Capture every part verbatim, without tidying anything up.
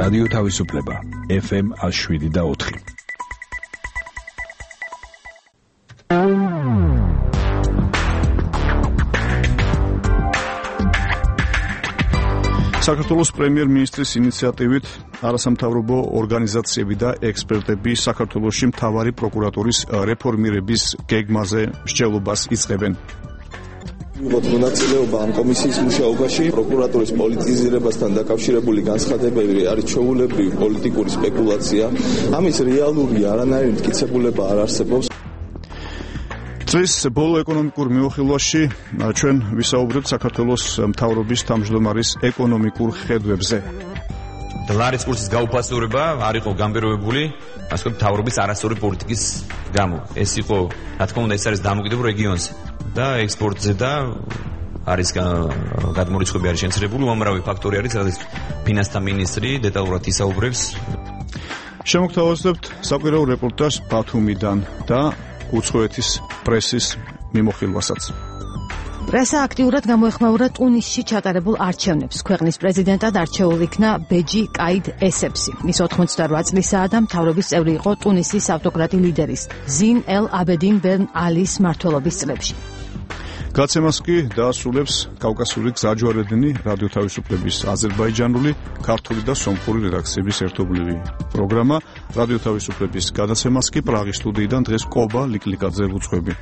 რადიო თავისუფლება ეფ ემ შვიდ და ოთხი. საქართველოს პრემიერ-მინისტრის ინიციატივით არასამთავრობო ორგანიზაციები და ექსპერტები საქართველოში მთავარი პროკურატურის რეფორმირების გეგმაზე მსჯელობას იწყებენ. მონაწილეობა ამ კომისიის მუშაობაში პროკურატურის პოლიტიზირებასთან დაკავშირებული განცხადებები არის ჩვეულებრივი პოლიტიკური სპეკულაცია. ამის რეალური არანაირი მტკიცებულება არ არსებობს. დღეს ბოლო ეკონომიკურ მეუხილვაში ჩვენ ვისაუბრებთ საქართველოს მთავრობის თავმჯდომარის ეკონომიკურ ხედვებზე. დოლარის კურსის გაუფასურება არ იყო გამბეროებული, ასე ვთქვათ, მთავრობის არასწორი პოლიტიკის გამო. ეს იყო, რა თქმა უნდა, ეს არის დამოკიდებულ რეგიონზე და ექსპორტზე და არის გადმორიცხვები არის შემცირებული, უამრავი ფაქტორი არის, რადგან ფინანსთა მინისტრი დეტალურად ისაუბრებს. შემოგთავაზებთ საკვირაო რეპორტაჟს ბათუმიდან და უცხოეთის პრესის მიმოხილვასაც. პრესა აქტიურად გამოეხმაურა ტუნისში ჩატარებულ არჩევნებს. ქვეყნის პრეზიდენტად არჩეულ იქნა ბეჯი კაიდ ესეფსი. ის ოთხმოცდარვა წლისაა და მთავრობის წევრი იყო ტუნისის ავტოკრატი ლიდერის ზინ ელ აბედინ ბენ ალის მმართველობის წლებში. გაცემას კი დაასრულებს კავკასიური გზაჯვარედინი რადიო თავისუფლების აზერბაიჯანული, ქართული და სომხური რედაქციების ერთობლივი პროგრამა. რადიო თავისუფლების გადაცემას კი პრაღის სტუდიიდან დღეს კობა ლიკლიკაძე უძღვები.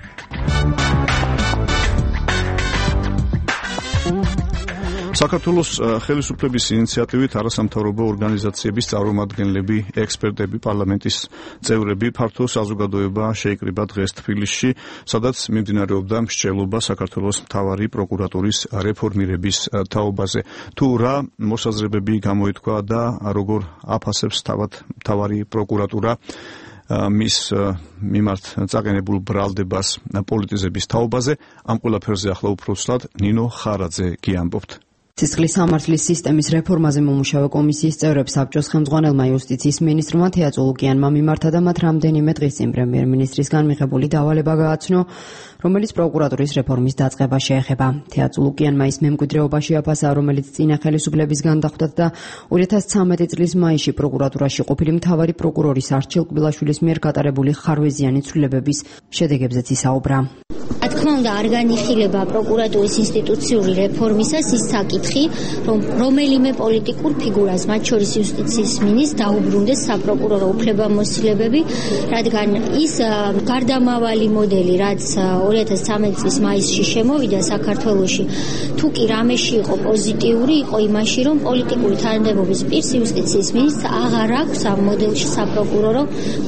საქართველოს ხელისუფლების ინიციატივით არასამთავრობო ორგანიზაციების წარმომადგენლები, ექსპერტები, პარლამენტის წევრები, ფართო საზოგადოება შეიკრიბა დღეს თბილისში, სადაც მიმდინარეობდა მსჯელობა საქართველოს მთავარი პროკურატურის რეფორმირების თაობაზე. თუ რა მოსაზრებები გამოითქვა და როგორ აფასებს თავად მთავარი პროკურატურა მის მიმართ წაყენებულ ბრალდებას პოლიტიზების თაობაზე, ამ ყველაფერზე ახლა უფრო სრულად ნინო ხარაძე გიამბობთ. სისხლის სამართლის სისტემის რეფორმაზე მომუშავე კომისიის წევრებს საბჭოს ხელმძღვანელმა იუსტიციის მინისტრმა თეატ ულუკიანმა მიმართა და მათ რამდენიმე დღის წინ პრემიერ-მინისტრისგან მიღებული დავალება გააცნო, რომელიც პროკურატურის რეფორმის დაწყება შეეხება. თეატ ულუკიანმა ის მემკვიდრეობაში აფასა, რომელიც წინა ხელისუფლებისგან დახვდათ და ორი ათას ცხრამეტი წლის მაისში პროკურატურაში ყოფილი მთავარი პროკურორის არჩილ კბილაშვილის მიერ გატარებული ხარვეზიანი ცვლილებების შედეგებზეც ისაუბრა. რა თქმა უნდა, არ განიხილება პროკურატურის ინსტიტუციური რეფორმისას ის საკითხი, რომ რომელიმე პოლიტიკურ ფიგურას, მათ შორის იუსტიციის მინისტრს, დაუბრუნდეს საპროკურორო უფლებამოსილებები, რადგან ის გარდამავალი მოდელი, რაც ორი ათას ცხრამეტი წლის მაისში შემოვიდა საქართველოში, თუ კი რამეში იყო პოზიტიური, იყო იმაში, რომ პოლიტიკური თანამდებობის პირს იუსტიციის მინისტრს აღარ აქვს ამ მოდელში საპროკურორო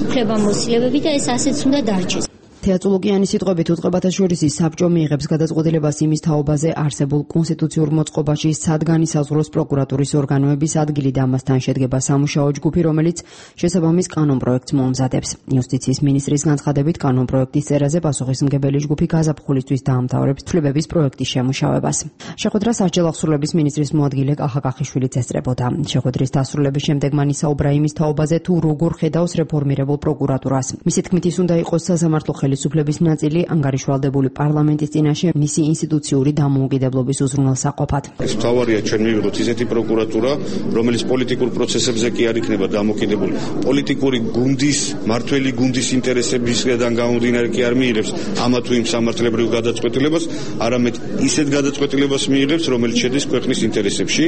უფლებამოსილებები და ეს ასეც უნდა დარჩეს. თეატ ულუკიანის სიტყვებით უწყებათა შორის საბჭო მიიღებს გადაწყვეტილებას იმის თაობაზე არსებულ კონსტიტუციურ მოწყობაში სად განისაზღვროს პროკურატურის ორგანოების ადგილი და ამასთან შედგება სამუშაო ჯგუფი, რომელიც შესაბამის კანონპროექტს მოამზადებს. იუსტიციის მინისტრის განცხადებით, კანონპროექტის წერაზე პასუხისმგებელი ჯგუფი გაზაფხულისთვის დაამთავრებს ცვლილებების პროექტის შემუშავებას. შეხვედრას სასჯელ აღსრულების მინისტრის მოადგილე კახა კახიშვილიც ესწრებოდა. შეხვედრის დასრულების შემდეგ მან ისაუბრა იმის თაობაზე, თუ როგორ ხედავს რეფორმირებულ პროკურატურას. მისი თქმით, ის უნდა იყოს სასამართლო ხელისუფლების ნაწილი, ანგარიშვალდებული პარლამენტის წინაშე მისი ინსტიტუციური დამოუკიდებლობის უზრუნველსაყოფად. ეს მთავარია ჩვენ მივიღოთ ისეთი პროკურატურა, რომელიც პოლიტიკურ პროცესებზე კი არ იქნება დამოკიდებული. პოლიტიკური გუნდის, მართველი გუნდის ინტერესებისგან გამომდინარე კი არ მიიღებს ამა თუ იმ სამართლებრივ გადაწყვეტილებას, არამედ ისეთ გადაწყვეტილებას მიიღებს, რომელიც შედის ქვეყნის ინტერესებში.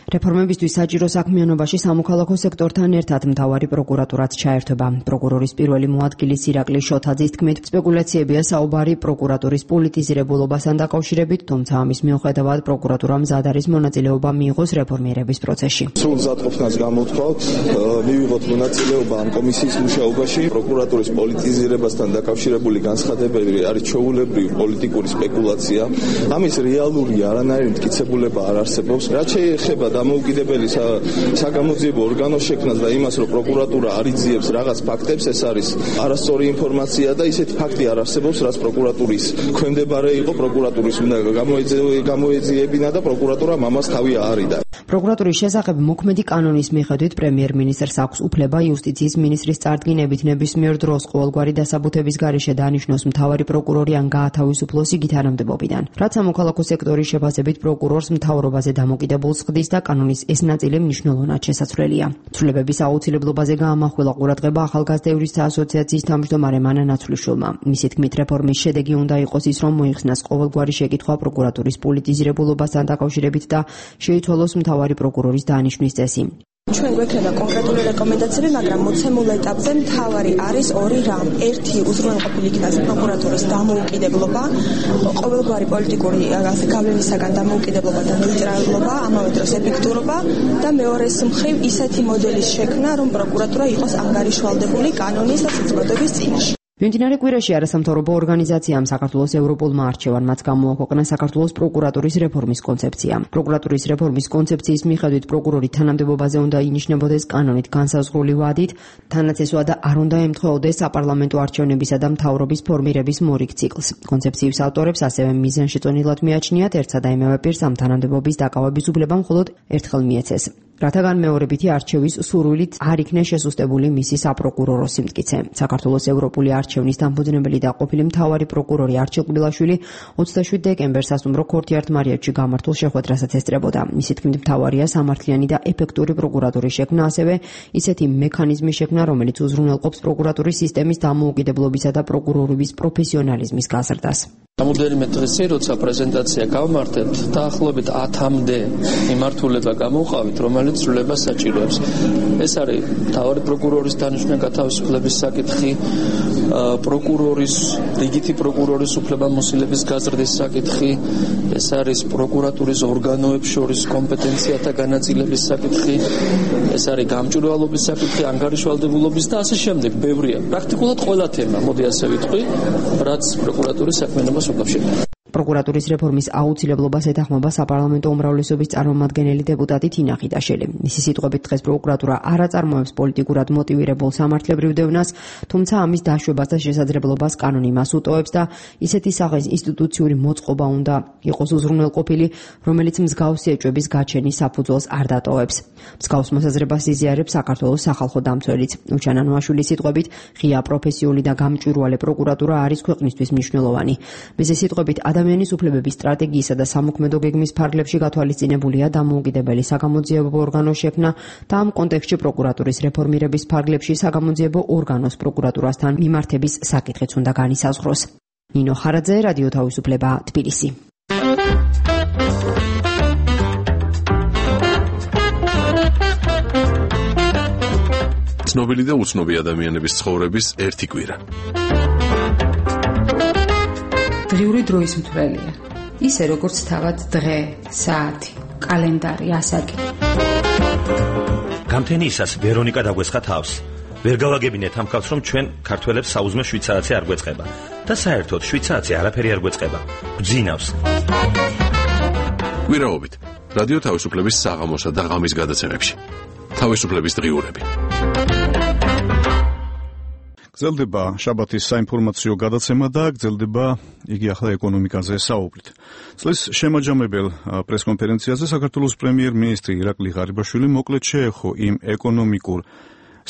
რეფორმებისთვის საჭირო საქმიანობაში სამოქალაქო სექტორთან ერთად მთავარი პროკურატურაც ჩაერთვება. პროკურორის პირველი მოადგილის ირაკლი შოთაძის თქმით, სპეკულაციებია საუბარი პროკურატურის პოლიტიზირებულობასთან დაკავშირებით, თუმცა ამის მიუხედავად პროკურატურამ მზად არის მონაწილეობა მიიღოს რეფორმირების პროცესში. სულ მზადყოფნას გამოთქვათ, მივიღოთ მონაწილეობა ამ კომისიის მუშაობაში. პროკურატურის პოლიტიზირებასთან დაკავშირებული განცხადებები არის ჩვეულებრივი პოლიტიკური სპეკულაცია. ამის რეალური არანაირი მტკიცებულება არ არსებობს. რაც შეეხება დამოუკიდებელი საგამოძიებო ორგანოს შექმნას და იმას, რომ პროკურატურა არ იძიებს რაღაც ფაქტებს, ეს არის არასწორი ინფორმაცია და ისეთი ფაქტი არ არსებობს, რაც პროკურატურის ქვემდებარე იყო, პროკურატურის უნდა გამოეძიებინა და პროკურატურა ამას თავი აარიდა. პროკურატურის შესახებ მოქმედი კანონის მიხედვით პრემიერ-მინისტრს აქვს უფლება იუსტიციის მინისტრის წარდგინებით ნებისმიერ დროს ყოველგვარი დასაბუთების გარეშე დანიშნოს მთავარი პროკურორი ან გაათავისუფლოს იგი თანამდებობიდან. რაც სამოქალაქო სექტორის შეფასებით პროკურორს მთავრობაზე დამოკიდებულს ხდის და კანონის ეს ნაწილი მნიშვნელოვნად შესაძლებელია. ცვლილებების აუცილებლობაზე გაამახვილა ყურადღება ახალგაზრდა იურისტთა ასოციაციის თავმჯდომარე მანა ნაცვლიშვილმა. მისი თქმით, რეფორმის შედეგი უნდა იყოს ის, რომ მოიხსნას ყოველგვარი შეკითხვა პროკურატურის პოლიტიზირებულობასთან დაკავშირებით და შეიცვალოს მთავარი პროკურორის დანიშვნის წესი. ჩვენ გვექნება კონკრეტული რეკომენდაციები, მაგრამ მოცემულ ეტაპზე მთავარი არის ორი რამ. ერთი უზრუნველყოფილი იქნას პროკურატურის დამოუკიდებლობა, ყოველგვარი პოლიტიკური გავლენისაგან დამოუკიდებლობა და ნეიტრალობა, ამავე დროს ეფექტურობა და მეორეს მხრივ ისეთი მოდელის შექმნა, რომ პროკურატურა იყოს ანგარიშვალდებული კანონის და საზოგადოების წინაშე. მიმდინარე კვირაში არასამთავრობო ორგანიზაციამ საქართველოს ევროპულმა არჩევან მათ გამოაქვეყნა საქართველოს პროკურატურის რეფორმის კონცეფცია. პროკურატურის რეფორმის კონცეფციის მიხედვით პროკურორი თანამდებობაზე უნდა ინიშნებოდეს კანონით განსაზღვრული ვადით, თანაც ეს ვადა არ უნდა ემთხვეოდეს საპარლამენტო არჩევნებისა და მთავრობის ფორმირების მორიგ ციკლს. კონცეფციის ავტორებს ასევე მიზანშეწონილად მიაჩნიათ ერთსა და იმავე პირს ამ თანამდებობის დაკავების უფლება მხოლოდ ერთხელ მიეცეს. რათაგან მეორებითი არჩევის სურვილით არ იქნა შესუსტებული მისი საპროკურორო სიმტკიცე. საქართველოს ევროპული არჩევნის დამფუძნებელი და ყოფილი მთავარი პროკურორი არჩილ კბილაშვილი ოცდაშვიდ დეკემბერს სასტუმრო ქორთიართმარიევში გამართულ შეხვედრასაც ესწრებოდა. მისი თქმით, მთავარია სამართლიანი და ეფექტური პროკურატურის შექმნა, ასევე ისეთი მექანიზმის შექმნა, რომელიც უზრუნველყოფს პროკურატურის სისტემის დამოუკიდებლობისა და პროკურორების პროფესიონალიზმის გაზრდას. Რამდენიმე დღეში, როცა პრეზენტაცია გავმართებთ, დაახლოებით ათამდე მიმართულება გამოვყავით, რომელიც ცვლილებას საჭიროებს. ეს არის მთავარი პროკურორის დანიშვნა გათავისუფლების საკითხი, პროკურორის, რიგითი პროკურორის უფლებამოსილების გაზრდის საკითხი, ეს არის პროკურატურის ორგანოებს შორის კომპეტენციათა განაწილების საკითხი, ეს არის გამჭვირვალობის საკითხი, ანგარიშვალდებულობის და ასე შემდეგ. ბევრია. პრაქტიკულად ყველა თემა, მოდი ასე ვიტყვი, რაც პროკურატურის საქმიანობას უკავშირდება. პროკურატურის რეფორმის აუცილებლობას ეთანხმება საპარლამენტო უმრავლესობის წარმომადგენელი დეპუტატი თინა ხიდაშელი. მისი სიტყვებით, დღეს პროკურატურა არ აწარმოებს პოლიტიკურად მოტივირებულ სამართლებრივ დევნას, თუმცა ამის დაშვებას და შესაძლებლობას კანონი მას უტოვებს და ისეთი სახის ინსტიტუციური მოწყობა უნდა იყოს უზრუნველყოფილი, რომელიც მსგავსი ეჭვების გაჩენის საფუძველს არ დატოვებს. მსგავს მოსაზრებას იზიარებს საქართველოს სახალხო დამცველიც. უჩან ანუაშვილის სიტყვებით, ღია პროფესიული და გამჭვირვალე პროკურატურა არის ქვეყნისთვის მნიშვნელოვანი. მისი სიტყვებით, ადამიანის უფლებების სტრატეგიისა და სამოქმედო გეგმის ფარგლებში გათვალისწინებულია დამოუკიდებელი საგამოძიებო ორგანოს შექმნა და ამ კონტექსტში პროკურატურის რეფორმირების ფარგლებში საგამოძიებო ორგანოს პროკურატურასთან მიმართების საკითხიც უნდა განისაზღვროს. ნინო ხარაძე, რადიო თავისუფლება, თბილისი. ცნობილი და უცნობი ადამიანების ცხოვრების ერთი კვირა. დღიური დროის მთვრელია. ისე როგორც თავად დღე, საათი, კალენდარი, ასაკი. გამთენიისას ვერონიკა დაგვესხა თავს. ვერ გავაგებინეთ ამ ხალხს, რომ ჩვენ ქართველებს საუზმე შვიდ საათზე არ გვეწყება. და საერთოდ შვიდ საათზე არაფერი არ გვეწყება. გძინავს. კვირაობით რადიო თავისუფლების საღამოსა და ღამის გადაცემებში. თავისუფლების დღიურები. გრძელდება შაბათის საინფორმაციო გადაცემა და გრძელდება იგი ახლა ეკონომიკაზე საუბრით. წლის შემაჯამებელ პრესკონფერენციაზე საქართველოს პრემიერ-მინისტრი ირაკლი ღარიბაშვილი მოკლედ შეეხო იმ ეკონომიკურ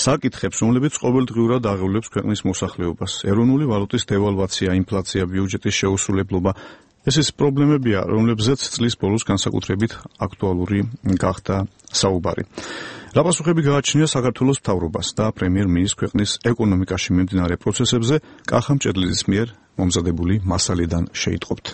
საკითხებს, რომლებიც ყოველდღიურად აღავლებს ქვეყნის მოსახლეობას. ეროვნული ვალუტის დევალვაცია, ინფლაცია, ბიუჯეტის შეუსრულებლობა. ეს ის პრობლემებია, რომლებზეც წლის ბოლოს განსაკუთრებით აქტუალური გახდა საუბარი. რა პასუხები გააჩნია საქართველოს მთავრობას და პრემიერ-მინისტრს ქვეყნის ეკონომიკაში მიმდინარე პროცესებზე კახამ ჭედლიძის მიერ მომზადებული მასალიდან შეიტყობთ.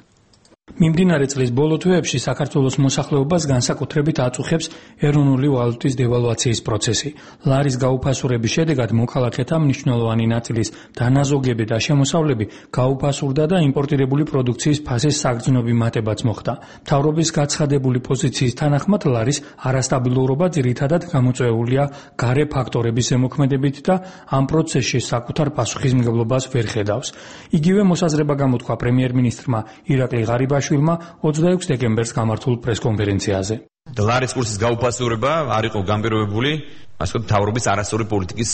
მიმდინარე წლის ბოლო თვეებში საქართველოს მოსახლეობას განსაკუთრებით აწუხებს ეროვნული ვალუტის დევალვაციის პროცესი. ლარის გაუფასურების შედეგად მოქალაქეთა მნიშვნელოვანი ნაწილის დანაზოგები და შემოსავლები გაუფასურდა და იმპორტირებული პროდუქციის ფასის საგრძნობი მატებაც მოხდა. მთავრობის გაცხადებული პოზიციის თანახმად ლარის არასტაბილურობა ძირითადად გამოწვეულია გარე ფაქტორების ზემოქმედებით და ამ პროცესში საკუთარ პასუხისმგებლობას ვერ ხედავს. იგივე მოსაზრება გამოთქვა პრემიერ-მინისტრმა ირაკლი ღარიბაშვილმა ოცდაექვსი დეკემბერს გამართულ პრესკონფერენციაზე. ლარის კურსის გაუფასურება არ იყო გამბიროებული, ასე ვთქვათ, მთავრობის არასწორი პოლიტიკის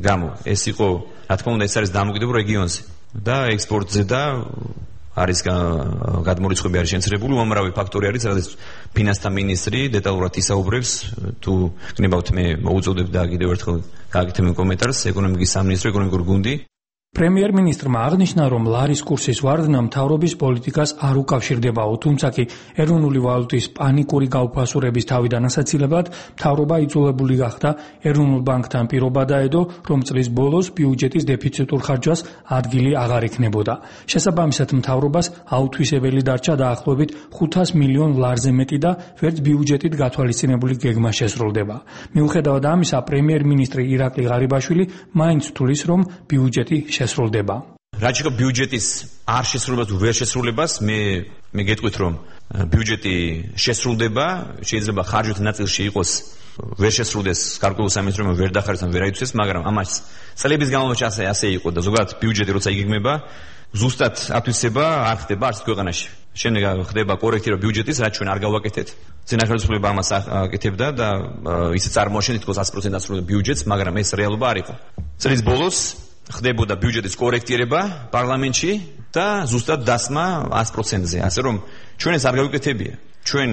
გამო. ეს იყო, რა თქმა უნდა, ეს არის დამოკიდებული რეგიონზე და ექსპორტზე და არის გადმორიცხვები არის შენცრებული, უამრავი ფაქტორი არის, რადგან ფინანსთა მინისტრი დეტალურად ისაუბრებს, თუ გნებავთ მე მოუწოდებ და კიდევ ერთხელ გააკეთებ კომენტარს, ეკონომიკის სამინისტრო, ეკონომიკური გუნდი. პრემიერ-მინისტრმა აღნიშნა, რომ ლარის კურსის ვარდნა მთავრობის პოლიტიკას არ უკავშირდებაო, თუმცა კი ეროვნული ვალუტის პანიკური გაუფასურების თავიდან ასაცილებლად მთავრობა იძულებული გახდა ეროვნულ ბანკთან პირობა დაედო, რომ წლის ბოლოს ბიუჯეტის დეფიციტურ ხარჯვას ადგილი აღარ იქნებოდა. შესაბამისად, მთავრობას აუთვისებელი დარჩა დაახლოებით ხუთას მილიონ ლარზე მეტი და ვერც ბიუჯეტით გათვალისწინებული გეგმა შესრულდება. მიუხედავად ამისა, პრემიერ-მინისტრი ირაკლი ღარიბაშვილი მაინც თვლის, რომ ბიუჯეტი შესრულდება. რაც შეეხება ბიუჯეტის არ შესრულებას თუ ვერ შესრულებას, მე მე გეტყვით, რომ ბიუჯეტი შესრულდება, შეიძლება ხარჯვათა ნაწილში იყოს ვერ შესრულდეს გარკვეულ სამინისტრომ ვერ დახარეს ან ვერ აიცვეს, მაგრამ ამას წლების განმავლობაში ასე ასე იყო და ზოგადად ბიუჯეტი როცა იგეგმება, ზუსტად ათვისება არ ხდება არც ქვეყანაში. შემდეგ ხდება კორექტირება ბიუჯეტის, რაც ჩვენ არ გავაკეთეთ. წინა ხელისუფლება ამას აკეთებდა და ისე წარმოაჩენდა თითქოს ათი პროცენტი ასრულებდა ბიუჯეტს, მაგრამ ეს რეალობა არ იყო. წლის ბოლოს ხდებოდა ბიუჯეტის კორექტირება პარლამენტში და ზუსტად დასმა ათი პროცენტზე. ასე რომ ჩვენ ეს არ გავიკეთებია. ჩვენ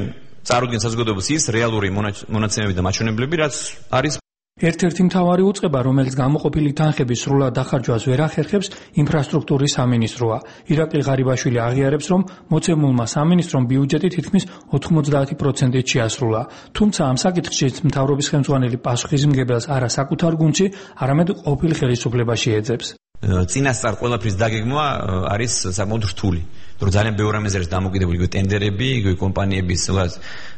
წარუდგენს საზოგადოებას ის რეალური მონაცემები და მაჩვენებლები, რაც არის. ერთ-ერთი მთავარი უწყება, რომელიც გამოყოფილი თანხების სრულად დახარჯვას ვერ ახერხებს, ინფრასტრუქტურის სამინისტროა. ირაკლი ღარიბაშვილი აღიარებს, რომ მოცემულმა სამინისტრომ ბიუჯეტი თითქმის ოთხმოცდაათი პროცენტით შეასრულა. თუმცა ამ საკითხში მთავრობის ხელმძღვანელი პასუხისმგებელს არა საკუთარ გუნდში, არამედ ყოფილ ხელისუფლებაში ეძებს. წინასწარ ყველაფრის დაგეგმვა არის საკმაოდ რთული. რომ ძალიან ბევრი რამეზე არის დამოკიდებული, იგივე ტენდერები, იგივე კომპანიების, ზოგადად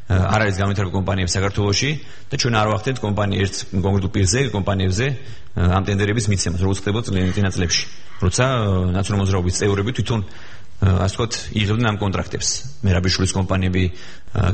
არ არის განვითარებული კომპანიები საქართველოში და ჩვენ არ ვახდენთ კომპანია ერთ კონკრეტულ პირზე, კომპანიებზე ამ ტენდერების მიცემას, როგორც ხდებოდა წინა წლებში. როცა ნაციონალური მოძრაობის წევრები თვითონ ასე ვთქვათ, იღებდნენ ამ კონტრაქტებს. მერაბიშვილის კომპანიები,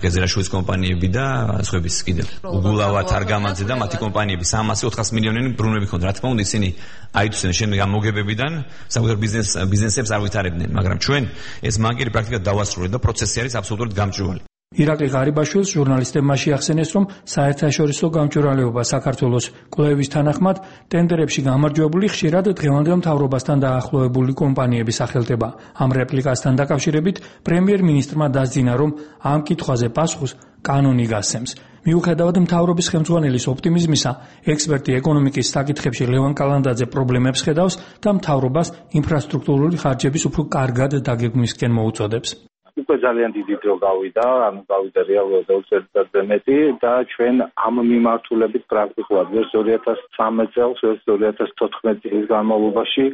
გეზერაშვილის კომპანიები და სხვების კიდევ. უგულავა, თარგამაძე და მათი კომპანიები სამასი ოთხასი მილიონიანი ბრუნვები ჰქონდა. რა თქმა უნდა, ისინი აიწვნენ შემდეგ ამ მოგებებიდან საკუთარ ბიზნეს ბიზნესებს არ ვითარებდნენ, მაგრამ ჩვენ ეს მანკერი პრაქტიკულად დავასრულეთ და პროცესი არის აბსოლუტურად გამჭვირვალე. ირაკლი ღარიბაშვილს ჟურნალისტებმა შეახსენეს, რომ საერთაშორისო გამჭვირვალეობა საქართველოს კვლევის თანახმად ტენდერებში გამარჯვებული ხშირად დღევანდელ მთავრობასთან დაახლოებული კომპანიების სახელდება. ამ რეპლიკასთან დაკავშირებით პრემიერ-მინისტრმა დასძინა, რომ ამ კითხვაზე პასუხს კანონი გასცემს. მიუხედავად მთავრობის ხელმძღვანელის ოპტიმიზმისა, ექსპერტი ეკონომიკის საკითხებში ლევან კალანდაძე პრობლემებს ხედავს და მთავრობას ინფრასტრუქტურული ხარჯების უფრო კარგად დაგეგმვისკენ მოუწოდებს. უკვე ძალიან დიდი დრო გავიდა, ანუ გავიდა რეალურად ორი წელიწადზე მეტი და ჩვენ ამ მიმართულებით პრაქტიკულად ვერც ორი ათას ცხრამეტ წელს, ვერც ორი ათას თოთხმეტ წლის განმავლობაში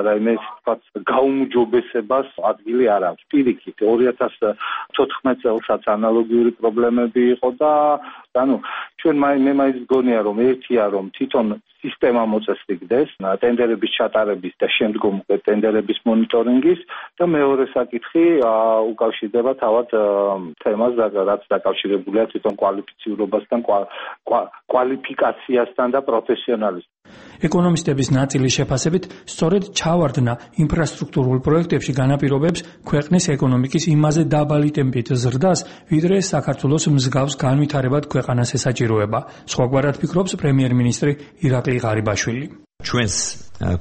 რაიმე თქვათ გაუმჯობესებას ადგილი არ აქვს. პირიქით, ორი ათას თოთხმეტ წელსაც ანალოგიური პრობლემები იყო და ანუ ჩვენ მე მაინც გონია, რომ ერთია, რომ თვითონ სისტემა მოწესრიგდეს ტენდერების ჩატარების და შემდგომ ტენდერების მონიტორინგის და მეორე საკითხი უკავშირდება თავად თემას, რაც დაკავშირებულია თვითონ კვალიფიციურობასთან, კვალიფიკაციასთან და პროფესიონალიზმთან. ეკონომისტების ნაწილის შეფასებით, სწორედ ჩავარდნა ინფრასტრუქტურულ პროექტებში განაპირობებს ქვეყნის ეკონომიკის იმაზე დაბალი ტემპით ზრდას, ვიდრე საქართველოს მსგავს განვითარებად ქვეყანას ესაჭიროება. სხვაგვარად ფიქრობს პრემიერ-მინისტრი ირაკლი ღარიბაშვილი. ჩვენს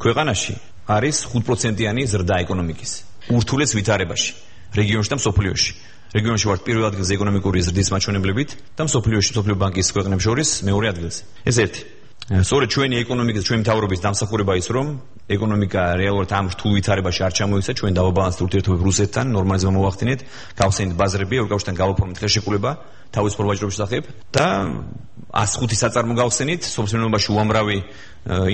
ქვეყანაში არის ხუთ პროცენტიანი ზრდა ეკონომიკის. ურთულეს ვითარებაში, რეგიონში და მსოფლიოში. რეგიონში ვართ პირველ ადგილზე ეკონომიკური ზრდის მაჩვენებლებით და მსოფლიოში, მსოფლიო ბანკის ქვეყნებს შორის მეორე ადგილზე. ეს ერთი. სწორედ ჩვენი ეკონომიკის, ჩვენი მთავრობის დამსახურება ის, რომ ეკონომიკა რეალურად ამ რთულ ვითარებაში არ ჩამოიქცა, ჩვენ დავაბალანსდეთ ურთიერთობები რუსეთთან, ნორმალიზება მოვახდინეთ, გავხსენით ბაზრები, ევროკავშირთან გავაფორმეთ ხელშეკრულება თავისუფალ ვაჭრობის შესახებ და ას ხუთი საწარმო გავხსენით, სოფლმეურნეობაში უამრავი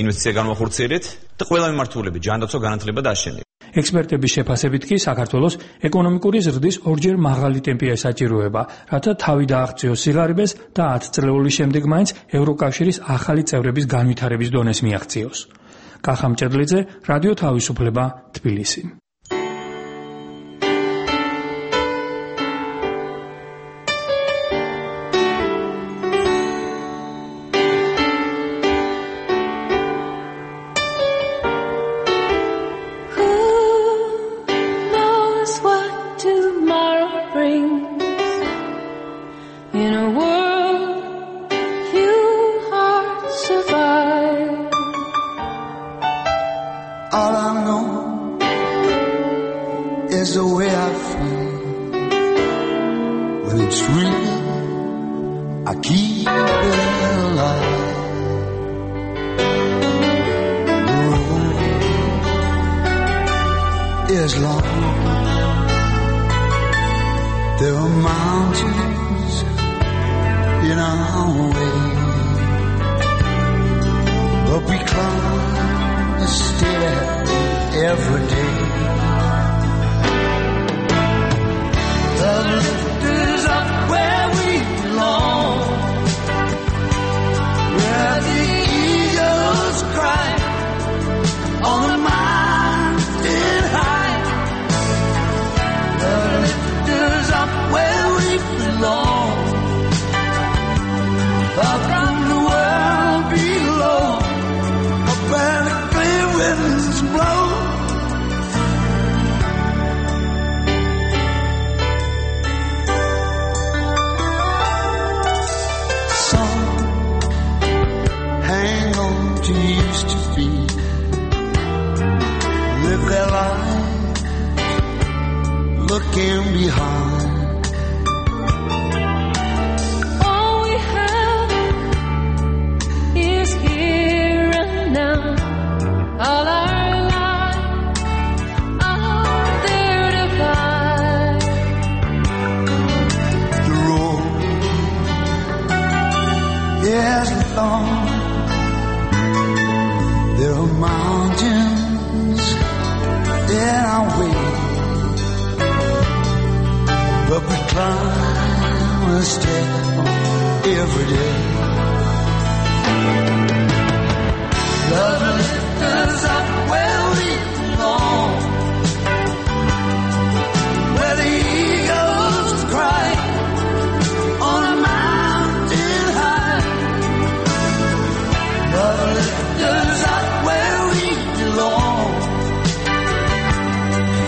ინვესტიცია განვახორციელეთ და ყველა მიმართულებით, ჯანდაცვა, განათლება და აშენება. ექსპერტების შეფასებით კი საქართველოს ეკონომიკური ზრდის ორჯერ მაღალი ტემპი ესაჭიროება, რათა თავი დააღწიოს სიღარიბეს და ათი წლების შემდეგ მაინც ევროკავშირის ახალი წევრების განვითარების დონეს მიაღწიოს. კახა მჭედლიძე, რადიო თავისუფლება, თბილისი. All I know is is the way I feel. When it's real, I keep it alive. The road is long. There are mountains in our way, but we climb a stair every day. The lift is up where we belong, where the eagles cry on the mountain high. The lift is up where we belong, far from the world below, up where the clear winds blow. Used to be, live their lives looking behind. All we have is here and now. All our lives are there to find. The road is long. There are mountains in our way, but we climb a step every day. Love lifts us up where we belong, where the eagles cry on a mountain high. Love lifts us up where we belong,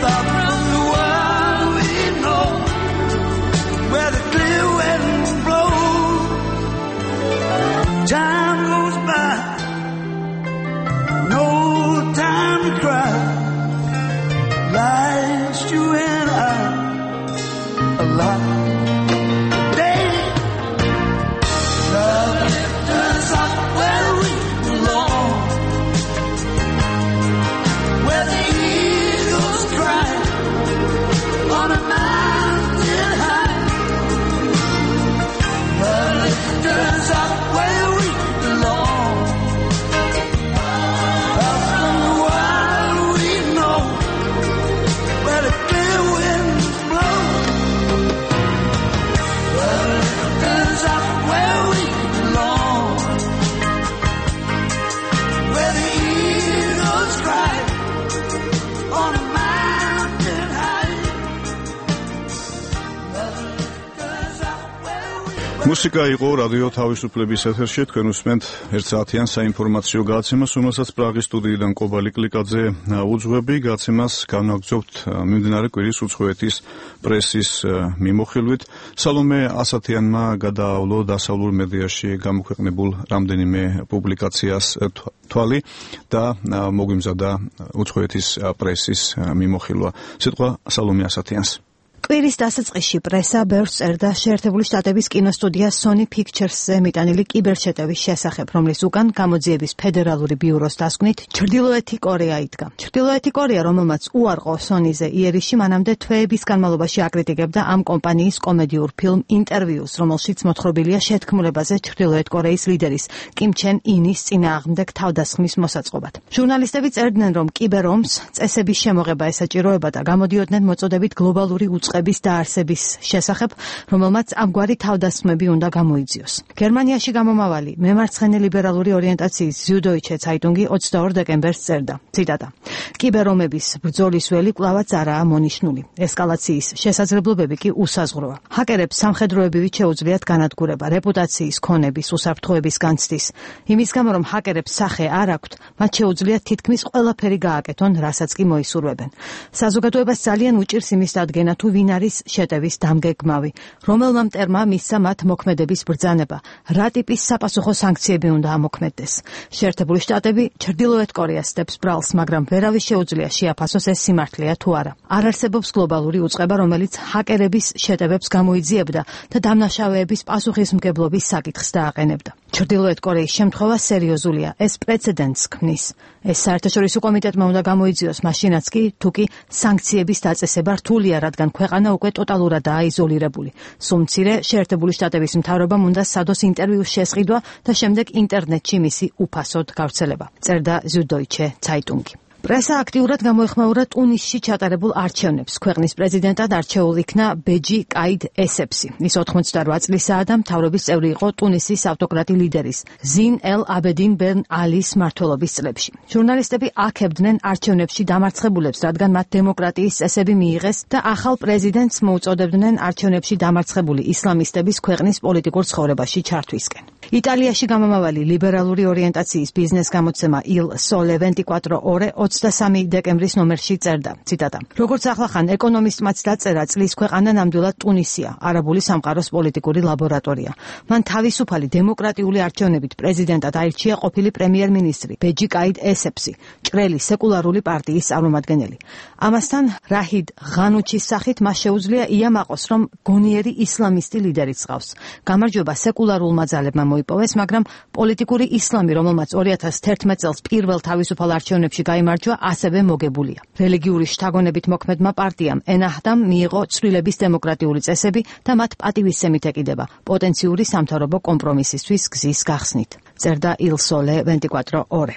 far from the world we know, where the clear winds blow. Time goes by, no time to cry. Life's you and I alive. Day, love lifts us up where we belong, where the eagles cry on a mountain high. Love lifts us up where we belong, far from the world we know, where the clear winds blow. Love lifts us up where we belong, where the eagles cry on a mountain high. მუსიკა იყო რადიო თავისუფლების ეთერში. თქვენ უსმენთ ერთ საათიან საინფორმაციო გადაცემას, რომელსაც პრაღის სტუდიიდან კობალი კლიკაძე უძღვები. გადაცემას განაგრძობთ მიმდინარე კვირის უცხოეთის პრესის მიმოხილვით. სალომე ასათიანმა გადაავლო დასავლურ მედიაში გამოქვეყნებულ რამდენიმე პუბლიკაციას თვალი და მოგვიმზადა უცხოეთის პრესის მიმოხილვა. სიტყვა სალომე ასათიანს. კვირის დასაწყისში პრესა ბევრს წერდა შეერთებული შტატების კინოსტუდია Sony Pictures-ზე მიტანილი კიბერშეტევის შესახებ, რომლის უკან გამოძიების ფედერალური ბიუროს დასკვნით ჩრდილოეთი კორეა იდგა. ჩრდილოეთი კორეა, რომელმაც უარყო Sony-ზე იერიში, მანამდე თვეების განმავლობაში აკრიტიკებდა ამ კომპანიის კომედიურ ფილმ ინტერვიუს, რომელშიც მოთხრობილია შეთქმულებაზე ჩრდილოეთ კორეის ლიდერის კიმ ჩენ ინის წინააღმდეგ თავდასხმის მოსაწყობად. ჟურნალისტები წერდნენ, რომ კიბერომს წესების შემოღება ესაჭიროება და გამოდიოდნენ მოწოდებით გლობალური უწყების დაარსების შესახებ, რომელმაც ამგვარი თავდასხმები უნდა გამოიძიოს. გერმანიაში გამომავალი მემარცხენე ლიბერალური ორიენტაციის Süddeutsche Zeitung-ი ოცდაორ დეკემბერს წერდა, ციტატა: კიბერომების ბრძოლის ველი კვლავაც არაა მონიშნული. ესკალაციის შესაძლებლობები კი უსაზღვროა. ჰაკერებს სამხედროებივით შეუძლიათ განადგურება, რეპუტაციის ქონების, უსაფრთხოების განცდის. იმის გამო, რომ ჰაკერებს სახე არ აქვთ, მათ შეუძლიათ თითქმის ყველაფერი გააკეთონ, რასაც კი მოისურვებენ. საზოგადოებას ძალიან უჭირს იმის დადგენა, თუ ვინ არის შეტევის დამგეგმავი, რომელმა მტერმა მისცა მათ მოქმედების ბრძანება, რა ტიპის საპასუხო სანქციები უნდა ამოქმედდეს. შეერთებული შტატები ჩრდილოეთ კორეას სდებს ბრალს, მაგრამ ვერავის შეუძლია შეაფასოს ეს სიმართლეა თუ არა. არ არსებობს გლობალური უწყება, რომელიც ჰაკერების შეტევებს გამოიძიებდა და დამნაშავეების პასუხისმგებლობის საკითხს დააყენებდა. ჩრდილოეთ კორეის შემთხვევა სერიოზულია, ეს პრეცედენტს ქმნის. ეს საერთაშორისო კომიტეტმა უნდა გამოიძიოს მაშინაც კი, თუ კი სანქციების დაწესება რთულია, რადგან ქვეყანა უკვე ტოტალურადაა იზოლირებული. სულ მცირე შეერთებული შტატების მთავრობამ უნდა სადოს ინტერვიუს შესყიდვა და შემდეგ ინტერნეტში მისი უფასოდ გავრცელება. წერდა Süddeutsche Zeitung. პრესა აქტიურად გამოეხმაურა ტუნისში ჩატარებულ არჩევნებს. ქვეყნის პრეზიდენტად არჩეულ იქნა ბეჯი კაიდ ესეფსი. ის ოთხმოცდაოთხ წლისაა და მთავრობის წევრი იყო ტუნისის ავტოკრატი ლიდერის ზინ ელ აბედინ ბენ ალის მმართველობის წლებში. ჟურნალისტები აქებდნენ არჩევნებში დამარცხებულებს, რადგან მათ დემოკრატიის წესები მიიღეს და ახალ პრეზიდენტს მოუწოდებდნენ არჩევნებში დამარცხებული ისლამისტების ქვეყნის პოლიტიკურ ცხოვრებაში ჩართვისკენ. იტალიაში გამომავალი ლიბერალური ორიენტაციის ბიზნეს გამოცემა Il Sole venti quattro ore ოცდასამი დეკემბრის ნომერში წერდა, ციტატა: როგორც ახლახან ეკონომისტმაც დაწერა, წლის ქვეყანა ნამდვილად ტუნისია, არაბული სამყაროს პოლიტიკური ლაბორატორია. მან თავისუფალი დემოკრატიული არჩევნებით პრეზიდენტად აირჩია ყოფილი პრემიერ-მინისტრი ბეჯი კაიდ ესეფსი, ჭრელი სეკულარული პარტიის წარმომადგენელი. ამასთან რაჰიდ ღანუჩის სახით მას შეუძლია იამაყოს, რომ გონიერი ისლამისტი ლიდერიც ყავს. გამარჯვება სეკულარულმა ძალებმა მოიპოვეს, მაგრამ პოლიტიკური ისლამი, რომელმაც ორი ათას თერთმეტ წელს პირველ თავისუფალ არჩევნებში გაიმარჯვა, ასევე მოგებულია. რელიგიური შთაგონებით მოქმედმა პარტიამ ენაჰდამ მიიღო ცვლილების დემოკრატიული წესები და მათ პატივისცემით ეკიდება პოტენციური სამთავრობო კომპრომისისთვის გზის გახსნით. წერდა Il Sole venti quattro ore.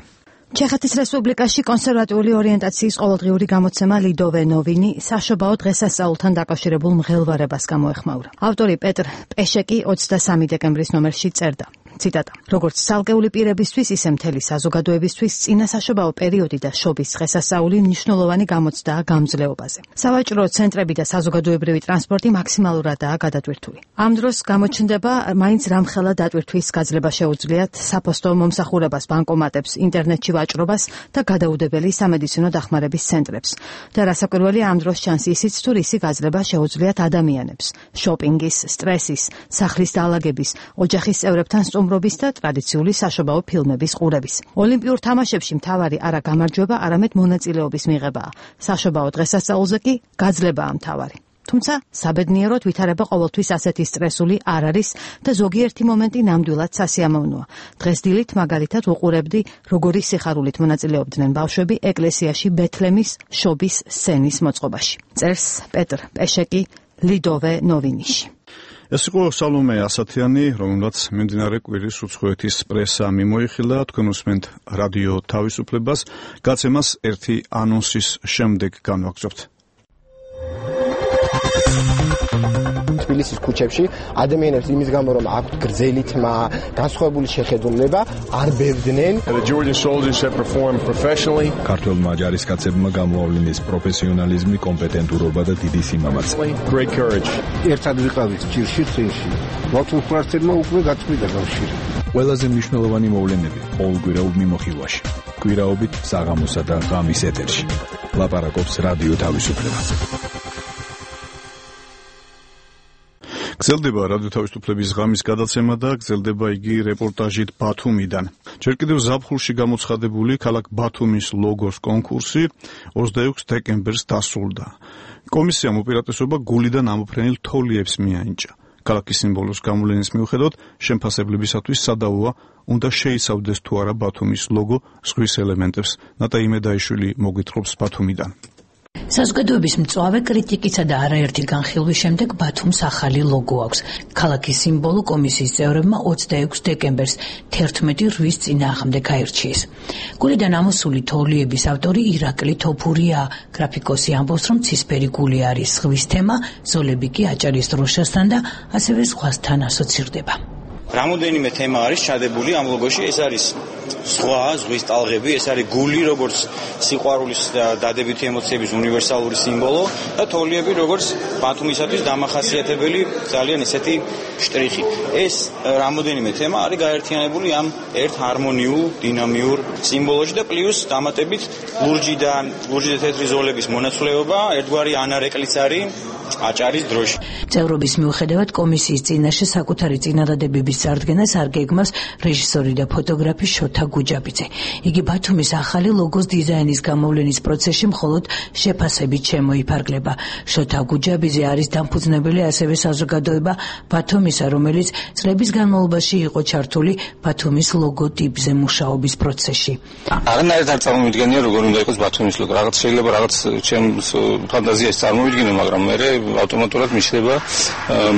ჩეხეთის რესპუბლიკაში კონსერვატიული ორიენტაციის ყოველდღიური გამოცემა ლიდოვე ნოვინი საშობაო დღესასწაულთან დაკავშირებულ მღელვარებას გამოეხმაურა. ავტორი პეტრ პეშეკი ოცდასამი დეკემბრის ნომერში წერდა, ციტატა: როგორც ცალკეული პირებისთვის, ისე მთელი საზოგადოებისთვის წინა საშობაო პერიოდი და შობის დღესასწაული მნიშვნელოვანი გამოცდაა გამძლეობაზე. სავაჭრო ცენტრები და საზოგადოებრივი ტრანსპორტი მაქსიმალურადაა გადატვირთული. ამ დროს გამოჩნდება მაინც რამხელა დატვირთვის გაძლება შეუძლიათ საფოსტო მომსახურებას, ბანკომატებს, ინტერნეტში ვაჭრობას და გადაუდებელი სამედიცინო დახმარების ცენტრებს. და რასაკვირველი, ამ დროს ჩანს ისიც, თუ რისი გაძლება შეუძლიათ ადამიანებს: შოპინგის, სტრესის, სახლის დაალაგების, ოჯახის წევრებთან სტუმრობის და ტრადიციული საშობაო ფილმების ყურების. ოლიმპიურ თამაშებში მთავარი არა გამარჯვება, არამედ მონაწილეობის მიღებაა. საშობაო დღესასწაულზე კი გაძლებაა მთავარი. თუმცა საბედნიეროდ ვითარება ყოველთვის ასეთი სტრესული არ არის და ზოგიერთი მომენტი ნამდვილად სასიამოვნოა. დღეს დილით მაგალითად უყურებდი, როგორი სიხარულით მონაწილეობდნენ ბავშვები ეკლესიაში ბეთლემის შობის სცენის მოწყობაში. წერს პეტრ პეშეკი ლიდოვე ნოვინიში. ეს იყო სალომე ასათიანი, რომელმაც მიმდინარე კვირის უცხოეთის პრესა მიმოიხილა. თქვენ უსმენთ რადიო თავისუფლებას. გაცემას ერთი ანონსის შემდეგ განვაგრძობთ. თბილისის ქუჩებში ადამიანებს იმის გამო, რომ აქვთ გრძელი თმა, განსხვავებული შეხედულება, არ ბევდნენ. ქართველმა ჯარისკაცებმა გამოავლინეს პროფესიონალიზმი, კომპეტენტურობა და დიდი სიმამაცე. ერთად ვიყავით ჭირში წინში. მართლმსვენებელმა უკვე გაწყვიტა კავშირი. ყველაზე მნიშვნელოვანი მოვლენები ყოველკვირაობ მიმოხილვაში. კვირაობით საღამოსა და ღამის ეთერში. ლაპარაკობს რადიო თავისუფლება. გრძელდება რადიო თავისუფლების ღამის გადაცემა და გრძელდება იგი რეპორტაჟით ბათუმიდან. ჯერ კიდევ ზაფხულში გამოცხადებული ქალაქ ბათუმის ლოგოს კონკურსი ოცდაექვსი დეკემბერს დასრულდა. კომისიამ უპირატესობა გულიდან ამოფრენილ თოლიებს მიანიჭა. ქალაქის სიმბოლოს გამოვლენის მიუხედავად შემფასებლებისათვის სადავოა, უნდა შეიცავდეს თუ არა ბათუმის ლოგო ზღვის ელემენტებს. ნატა იმედაიშვილი მოგვითხრობს ბათუმიდან. საზოგადოების მწვავე კრიტიკისა და არაერთი განხილვის შემდეგ ბათუმს ახალი ლოგო აქვს. ქალაქის სიმბოლო კომისიის წევრებმა ოცდაექვსი დეკემბერს თერთმეტი რვის წინააღმდეგ აირჩიეს. გულიდან ამოსული თოლიების ავტორი ირაკლი თოფურია. გრაფიკოსი ამბობს, რომ ცისფერი გული არის ზღვის თემა, ზოლები კი აჭარის დროშასთან და ასევე ზღვასთან ასოცირდება. რამოდენიმე თემა არის ჩადებული ამ ლოგოში, ეს არის ზღვა, ზღვის ტალღები, ეს არის გული, როგორც სიყვარულის და დადებითი ემოციების უნივერსალური სიმბოლო და თოლიები, როგორც ბათუმისათვის დამახასიათებელი ძალიან ესეთი შტრიხი. ეს რამოდენიმე თემა არის გაერთიანებული ამ ერთ ჰარმონიულ, დინამიურ სიმბოლოში და პლუს დამატებით ლურჯი და ლურჯი და თეთრი ზოლების მონაცვლეობა, ერთგვარი ანარეკლიც არის აჭარის დროში. წევრობის მიუხედავად კომისიის წინაშე საკუთარი წინადადებების წარდგენას არ გეგმავს რეჟისორი და ფოტოგრაფი შოთა გუჯაბიძე. იგი ბათუმის ახალი ლოგოს დიზაინის გამოვლენის პროცესში მხოლოდ შეფასებით შემოიფარგლება. შოთა გუჯაბიძე არის დამფუძნებელი ასევე საზოგადოება ბათუმისა, რომელიც წლების განმავლობაში იყო ჩართული ბათუმის ლოგოტიპზე მუშაობის პროცესში. აღნაირად არ წარმოვიდგენია როგორ უნდა იყოს ბათუმის ლოგო. რაღაც შეიძლება რაღაც ჩემს ფანტაზიას წარმოვიდგინო, მაგრამ მე ავტომატურად მიშლება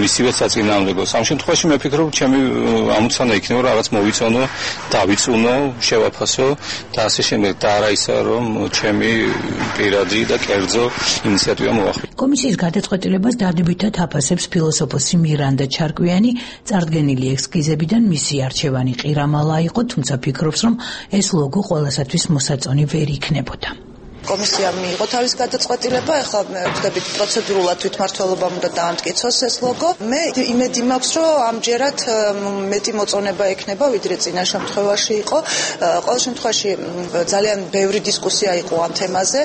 მისივე საწინააღმდეგო. ამ შემთხვევაში მე ვფიქრობ, ჩემი ამოცანა იქნება რაღაც მოვიცანო, დავიწუნო, შევაფასო და ასე შემდეგ და არა ისა რომ ჩემი პირადი და კერძო ინიციატივა მოახდინო. კომისიის გადაწყვეტილებას დადებითად აფასებს ფილოსოფოსი მირანდა ჩარკვიანი. წარდგენილი ესკიზებიდან მისი არჩევანი ყირამალა იყო, თუმცა ფიქრობს, რომ ეს ლოგო ყველასათვის მოსაწონი ვერ იქნებოდა. კომისიამ მიიღო თავის გადაწყვეტილება, ახლა მე ვხდებით პროცედურულად თვითმმართველობამ უნდა დაამტკიცოს ეს ლოგო. მე იმედი მაქვს, რომ ამჯერად მეტი მოწონება ექნება, ვიდრე წინა შემთხვევაში იყო. ყოველ შემთხვევაში ძალიან ბევრი დისკუსია იყო ამ თემაზე,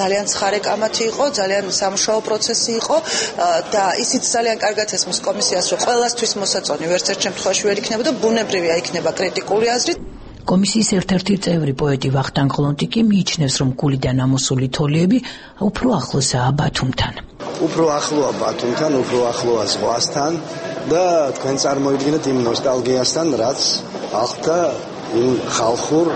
ძალიან ცხარე კამათი იყო, ძალიან სამუშაო პროცესი იყო და ისიც ძალიან კარგად ესმის კომისიას, რომ ყველასთვის მოსაწონი ვერც ერთ შემთხვევაში ვერ იქნებოდა, ბუნებრივია იქნება კრიტიკული აზრი. კომისიის ერთ-ერთი წევრი პოეტი ვახტანგ ყლონტიკი მიიჩნევს, რომ გულიდან ამოსული თოლიები უფრო ახლოსაა ბათუმთან. უფრო ახლოა ბათუმთან, უფრო ახლოა ზღვასთან და თქვენ წარმოიდგინეთ იმ ნოსტალგიასთან, რაც ახლა იმ ხალხურ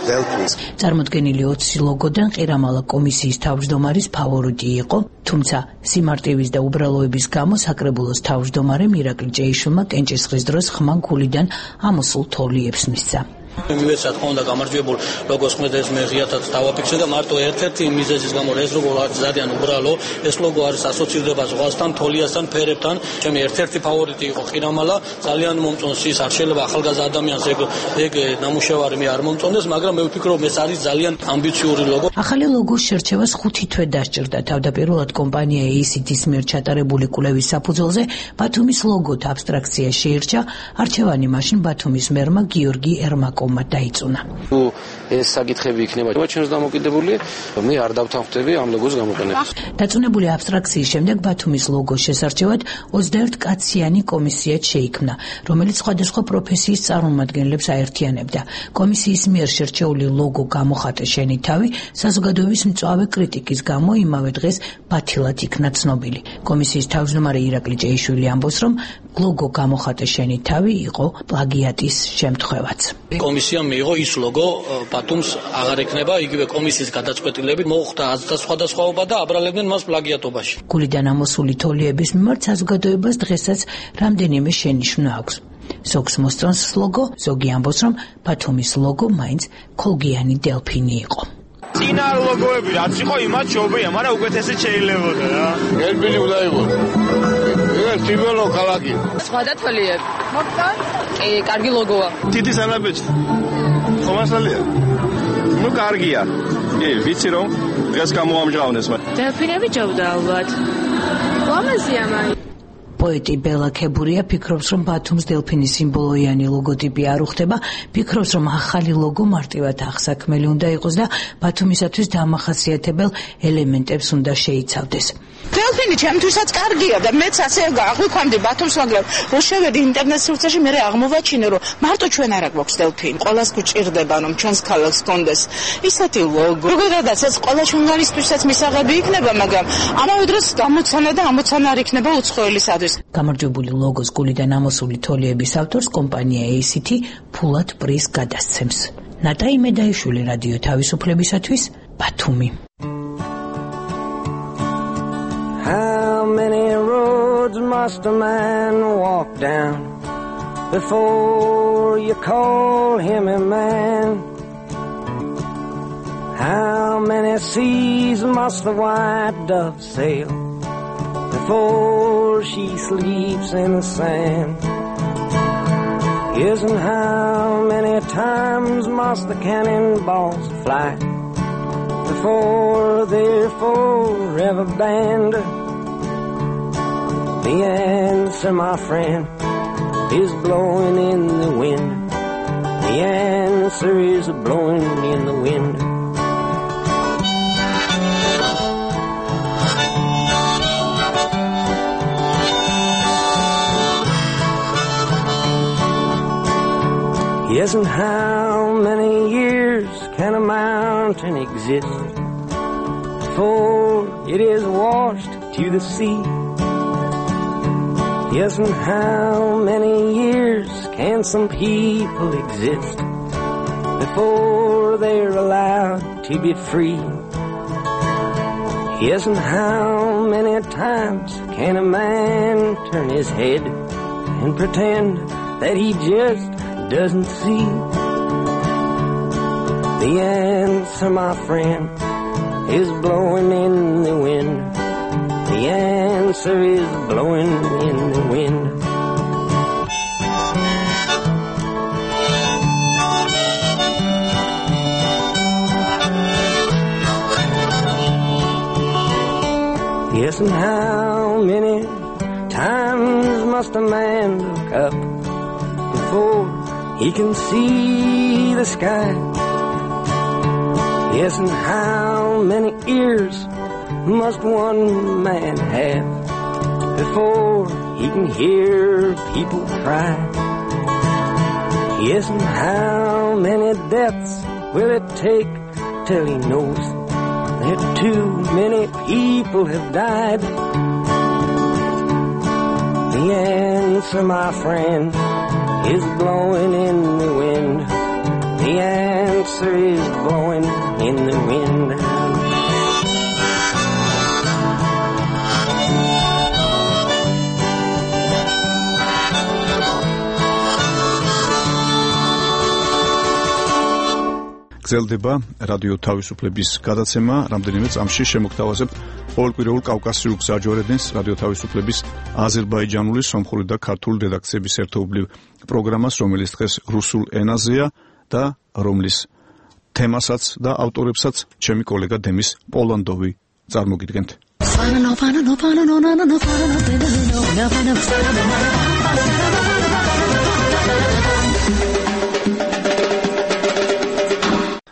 დელფინს. წარმოდგენილი ოცი ლოგოდან ყირამალა კომისიის თავმჯდომარის ფავორიტი იყო, თუმცა სიმარტივის და უბრალოების გამო საკრებულოს თავმჯდომარემ ირაკლი ჭეიშვილმა კენჭისყრის დროს ხმა გულიდან ამოსულ თოლიებს მისცა. მივეცათ ხონდა გამარჯვებულ ლოგოს ხვდეს მე ღიათაც დავაფიქსე და მარტო ერთ-ერთი მიზეზის გამო ეს ლოგო არის ძალიან უბრალო. ეს ლოგო არის ასოცირდება ზღვასთან, თოლიასთან, ფერებთან. ჩემი ერთ-ერთი ფავორიტი იყო ყირამალა, ძალიან მომწონს ის, არ შეიძლება ახალგაზრდა ადამიანს ეგ ეგ ნამუშევარი მე არ მომწონდეს, მაგრამ მე ვფიქრობ ეს არის ძალიან ამბიციური ლოგო. ახალი ლოგოს შერჩევას ხუთი თვე დასჭირდა. თავდაპირველად კომპანია эй სი თი-ის მიერ ჩატარებული კვლევის საფუძველზე ბათუმის ლოგოთ აბსტრაქცია შეირჩა. არჩევანი მაშინ ბათუმის მერმა გიორგი ერმაკო დაიწუნა. ეს საკითხები იქნება ჩვენს დამოკიდებული, მე არ დავთანხმდები ამ ლოგოს გამოყენებას. დაწუნებული აბსტრაქციის შემდეგ ბათუმის ლოგოს შესარჩევად ოცდაერთი კაციანი კომისიაც შეიქმნა, რომელიც სხვადასხვა პროფესიის წარმომადგენლებს აერთიანებდა. კომისიის მიერ შერჩეული ლოგო გამოხატე შენი თავი საზოგადოების მწვავე კრიტიკის გამო იმავე დღეს ბათილად იქნა ცნობილი. კომისიის თავმჯდომარე ირაკლი ჭეიშვილი ამბობს, რომ ლოგო გამოხატე შენი თავი იყო პლაგიატის შემთხვევაც. კომისიამ მიიღო ის ლოგო ბათუმს აღარ ექნება, იგივე კომისიის გადაწყვეტილებით მოხდა აზრთა სხვადასხვაობა და აბრალებდნენ მას პლაგიატობაში. გულიდან ამოსული თოლიების მიმართ საზოგადოებას დღესაც რამდენიმე შენიშვნა აქვს. ზოგს მოსწონს ლოგო, ზოგი ამბობს, რომ ბათუმის ლოგო მაინც ქოლგიანი დელფინი იყო. წინა ლოგოები რაც იყო იმათ შობია, მაგრამ უკეთესად შეიძლებოდა რა. დელფინი უნდა იყოს. ეს ტიბელო ქალაქი. სხვა და თოლიები. მოხდა? კი, კარგი ლოგოა. თითი სანაბეჭი. ხომასალია. ნუ კარგია. კი, ვიცი რომ დღეს გამოამჟღავნეს მე. დელფინები ჯობდა ალბათ. ლამაზია მაინც. პოეტი ბელა ქებურია ფიქრობს, რომ ბათუმს დელფინის სიმბოლოიანი ლოგოტიპი არ უხდება, ფიქრობს, რომ ახალი ლოგო მარტივად აღსაქმელი უნდა იყოს და ბათუმისათვის დამახასიათებელ ელემენტებს უნდა შეიცავდეს. დელფინი ჩემთვისაც კარგია და მეც ასე აღვიქვამდი ბათუმს, მაგრამ რო შევედი ინტერნეტ სივრცეში მე აღმოვაჩინე, რომ მარტო ჩვენ არ აქვს დელფინი. ყველას გვჭირდება, რომ ჩვენს ქალაქს გქონდეს ისეთი ლოგო. როგორღაც ეს ყველა ჟურნალისტთვისაც მისაღები იქნება, მაგრამ ამავე დროს გამოცანა და ამოცანა არ იქნება უცხოელისათვის. გამარჯვებული ლოგოს გულიდან ამოსული თოლიების ავტორს კომპანია эй სი თი ფულად პრიზს გადასცემს. ნატა იმედაიშვილი, რადიო თავისუფლებისათვის, ბათუმი. How many roads must a man walk down before you call him a man? How many seas must the white dove sail before she sleeps in the sand? Yes, and how many times must the cannonballs fly before they're forever banned? The answer, my friend, is blowing in the wind. The answer is blowing in the wind. Yes, and how many years can a mountain exist before it is washed to the sea? Yes, and how many years can some people exist before they're allowed to be free? Yes, and how many times can a man turn his head and pretend that he just doesn't see? The answer, my friend, is blowing in the wind. The answer is blowing in the wind. Yes, and how many times must a man look up before he can see the sky? Yes, and how many ears must one man have before he can hear people cry? Yes, and how many deaths will it take till he knows that too many people have died? The answer, my friend, is blowing in the wind. The answer is blowing in the wind. გრძელდება რადიო თავისუფლების გადაცემა. რამდენიმე წამში შემოგთავაზებთ ყოველკვირეულ კავკასიურ გზაჯვარედინს რადიო თავისუფლების აზერბაიჯანული, სომხური და ქართული რედაქციების ერთობლივ პროგრამას, რომელიც დღეს რუსულ ენაზეა და რომლის თემასაც და ავტორებსაც ჩემი კოლეგა დემის პოლანდოვი წარმოგიდგენთ.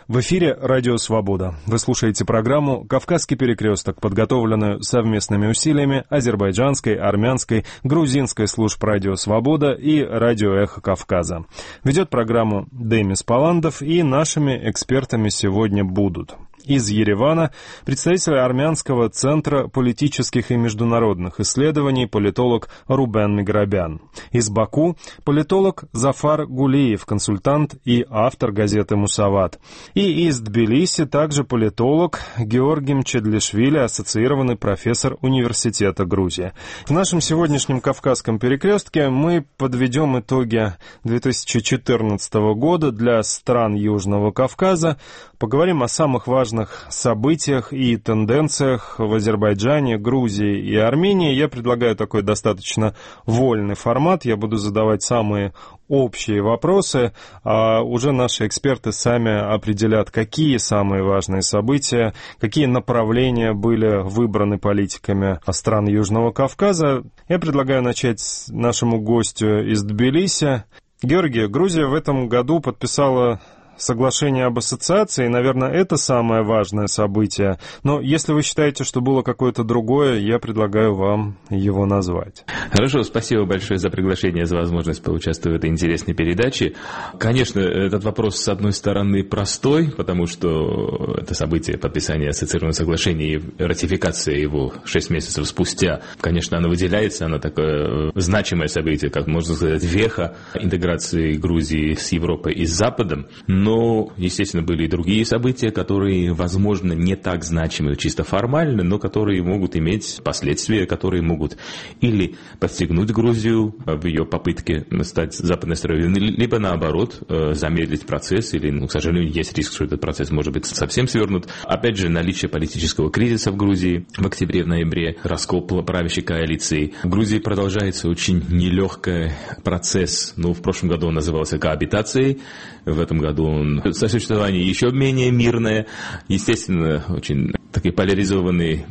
В эфире «Радио Свобода». Вы слушаете программу «Кавказский перекресток», подготовленную совместными усилиями азербайджанской, армянской, грузинской служб «Радио Свобода» и «Радио Эхо Кавказа». Ведет программу Демис Поландов, и нашими экспертами сегодня будут: из Еревана представитель армянского центра политических и международных исследований политолог Рубен Миграбян. Из Баку политолог Зафар Гулиев, консультант и автор газеты «Мусават». И из Тбилиси также политолог Георгий Мчедлишвили, ассоциированный профессор Университета Грузии. В нашем сегодняшнем Кавказском перекрестке мы подведем итоги две тысячи четырнадцатого года для стран Южного Кавказа, поговорим о самых важных событиях и тенденциях в Азербайджане, Грузии и Армении. Я предлагаю такой достаточно вольный формат. Я буду задавать самые общие вопросы, а уже наши эксперты сами определят, какие самые важные события, какие направления были выбраны политиками стран Южного Кавказа. Я предлагаю начать с нашему гостю из Тбилиси. Георгий, Грузия в этом году подписала соглашение об ассоциации, наверное, это самое важное событие. Но если вы считаете, что было какое-то другое, я предлагаю вам его назвать. Хорошо, спасибо большое за приглашение, за возможность поучаствовать в этой интересной передаче. Конечно, этот вопрос, с одной стороны, простой, потому что это событие подписания ассоциированного соглашения и ратификация его шесть месяцев спустя. Конечно, оно выделяется, оно такое значимое событие, как можно сказать, веха интеграции Грузии с Европой и с Западом. Но, естественно, были и другие события, которые, возможно, не так значимы чисто формально, но которые могут иметь последствия, которые могут или подстегнуть Грузию в ее попытке стать западной страной, либо, наоборот, замедлить процесс, или, ну, к сожалению, есть риск, что этот процесс может быть совсем свернут. Опять же, наличие политического кризиса в Грузии в октябре, в ноябре, раскол правящей коалиции. В Грузии продолжается очень нелегкий процесс, ну, в прошлом году он назывался коабитацией, в этом году он сосуществование еще менее мирное, естественно, очень такой поляризованный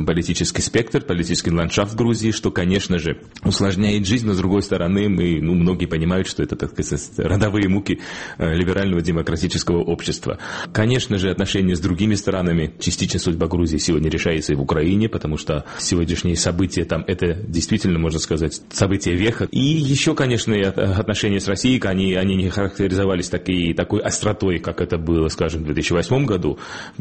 политический спектр, политический ландшафт в Грузии, что, конечно же, усложняет жизнь, но, с другой стороны, мы, ну, многие понимают, что это, так сказать, родовые муки либерального демократического общества. Конечно же, отношения с другими странами, частично судьба Грузии сегодня решается и в Украине, потому что сегодняшние события там, это действительно, можно сказать, события века. И еще, конечно, и отношения с Россией, они, они не характеризовались такой, такой остротой, как это было, скажем, в две тысячи восьмом году,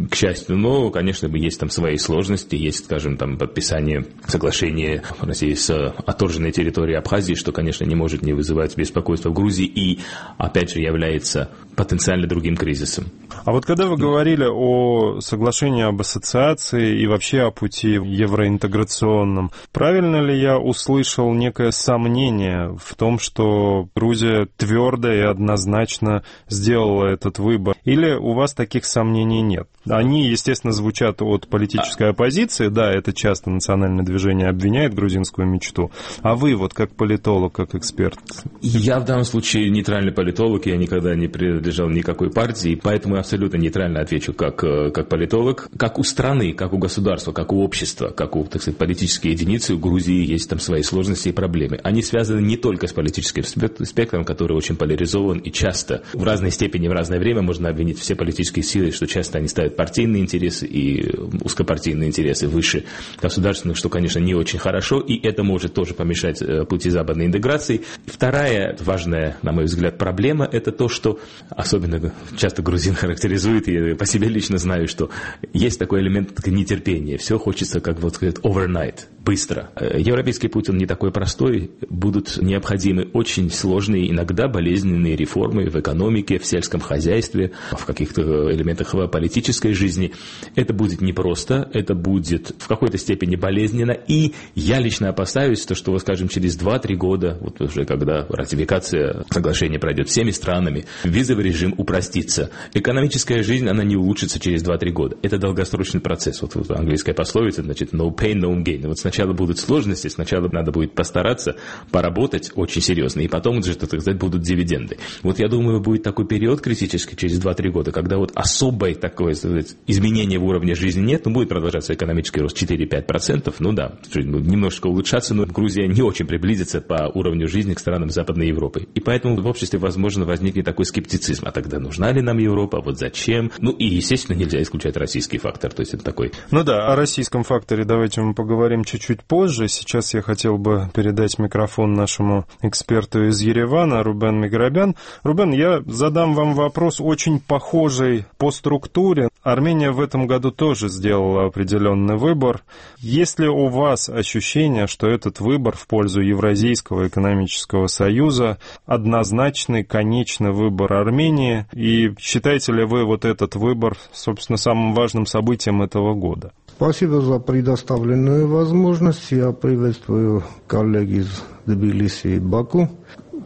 к счастью, но, конечно, есть там свои сложности, есть, скажем, там подписание соглашения России с отторженной территорией Абхазии, что, конечно, не может не вызывать беспокойства в Грузии и, опять же, является потенциально другим кризисом. А вот когда вы говорили о соглашении об ассоциации и вообще о пути евроинтеграционном, правильно ли я услышал некое сомнение в том, что Грузия твердо и однозначно сделала этот выбор? Или у вас таких сомнений нет? Они, естественно, звучат от политической оппозиции, да, это часто национальное движение обвиняет грузинскую мечту, а вы вот как политолог, как эксперт? Я в данном случае нейтральный политолог, я никогда не принадлежал никакой партии, поэтому я абсолютно нейтрально отвечу как, как политолог. Как у страны, как у государства, как у общества, как у, так сказать, политической единицы, у Грузии есть там свои сложности и проблемы. Они связаны не только с политическим спектром, который очень поляризован, и часто в разной степени, в разное время можно обвинить все политические силы, что часто они ставят партийные интересы и узкопартийные интересы выше государственных, что, конечно, не очень хорошо, и это может тоже помешать пути западной интеграции. Вторая важная, на мой взгляд, проблема – это то, что особенно часто грузин характеризует, и я по себе лично знаю, что есть такой элемент нетерпения. Все хочется, как вот сказать, overnight, быстро. Европейский путь, он не такой простой. Будут необходимы очень сложные, иногда болезненные реформы в экономике, в сельском хозяйстве, в каких-то элементах политической жизни. Это будет непросто, это будет в какой-то степени болезненно, и я лично опасаюсь, то, что, скажем, через два-три года, вот уже когда ратификация соглашения пройдет всеми странами, визовый режим упростится. Экономическая жизнь, она не улучшится через два-три года. Это долгосрочный процесс. Вот, вот английская пословица, значит, no pain, no gain. Вот сначала будут сложности, сначала надо будет постараться, поработать очень серьезно, и потом уже, так сказать, будут дивиденды. Вот я думаю, будет такой период критический через два-три года, когда вот особое такое, так сказать, изменение в уровне жизни нет, но будет продолжаться экономический рост четыре-пять процентов, ну да, немножко улучшаться, но Грузия не очень приблизится по уровню жизни к странам Западной Европы. И поэтому в обществе, возможно, возникнет такой скептицизм. А тогда нужна ли нам Европа? Вот зачем? Ну и, естественно, нельзя исключать российский фактор. То есть это такой... Ну да, о российском факторе давайте мы поговорим чуть-чуть позже. Сейчас я хотел бы передать микрофон нашему эксперту из Еревана, Рубен Миграбян. Рубен, я задам вам вопрос очень похожий по структуре. Армения в этом году тоже сделала определенный выбор. Есть ли у вас ощущение, что этот выбор в пользу Евразийского экономического союза однозначный, конечный выбор Армении? И считаете ли вы вот этот выбор, собственно, самым важным событием этого года? Спасибо за предоставленную возможность. Я приветствую коллег из Тбилиси и Баку.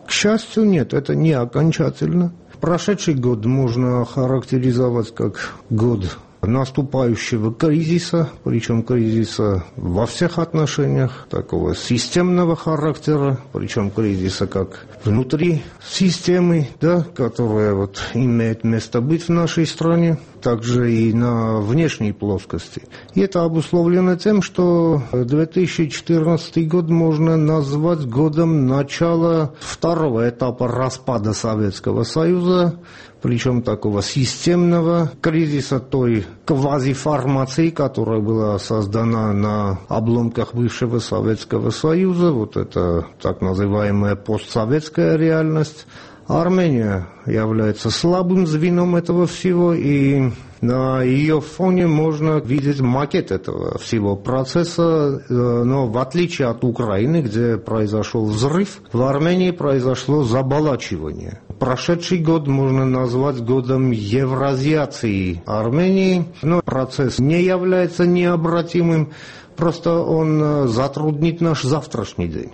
К счастью, нет, это не окончательно. Прошедший год можно характеризовать как год наступающего кризиса, причем кризиса во всех отношениях, такого системного характера, причем кризиса как внутри системы, да, которая вот имеет место быть в нашей стране, также и на внешней плоскости. И это обусловлено тем, что две тысячи четырнадцатый год можно назвать годом начала второго этапа распада Советского Союза, причем такого системного кризиса той квазиформации, которая была создана на обломках бывшего Советского Союза, вот это так называемая постсоветская реальность. Армения является слабым звеном этого всего, и на ее фоне можно видеть макет этого всего процесса, но в отличие от Украины, где произошел взрыв, в Армении произошло заболачивание. Прошедший год можно назвать годом евразиации Армении, но процесс не является необратимым, просто он затруднит наш завтрашний день.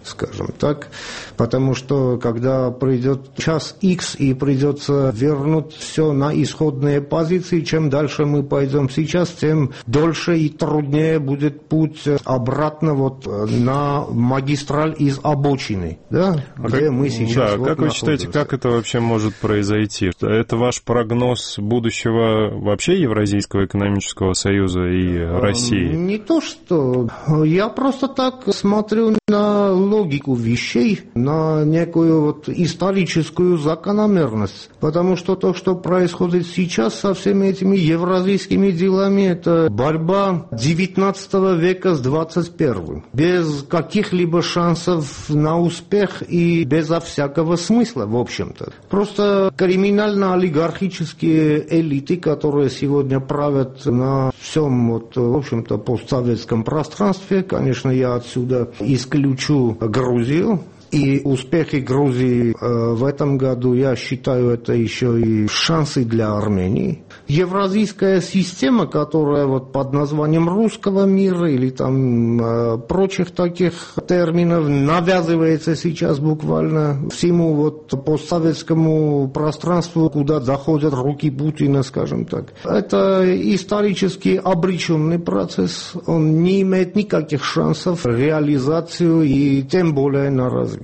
скажем так, потому что когда придет час X и придется вернуть все на исходные позиции, чем дальше мы пойдем сейчас, тем дольше и труднее будет путь обратно вот на магистраль из обочины, да, а где как, мы сейчас да, вот как вы считаете, как это вообще может произойти? Это ваш прогноз будущего вообще Евразийского экономического союза и России? Не то, что... Я просто так смотрю на логику вещей, на некую вот историческую закономерность. Потому что то, что происходит сейчас со всеми этими евразийскими делами, это борьба девятнадцатого века с двадцать первым. Без каких-либо шансов на успех и безо всякого смысла, в общем-то. Просто криминально-олигархические элиты, которые сегодня правят на всем, вот, в общем-то, постсоветском пространстве. Конечно, я отсюда исключу Грузию. И успехи Грузии э, в этом году, я считаю, это еще и шансы для Армении. Евразийская система, которая вот под названием русского мира или там э, прочих таких терминов навязывается сейчас буквально всему вот постсоветскому пространству, куда доходят руки Путина, скажем так. Это исторически обреченный процесс, он не имеет никаких шансов на реализацию и тем более на развитие.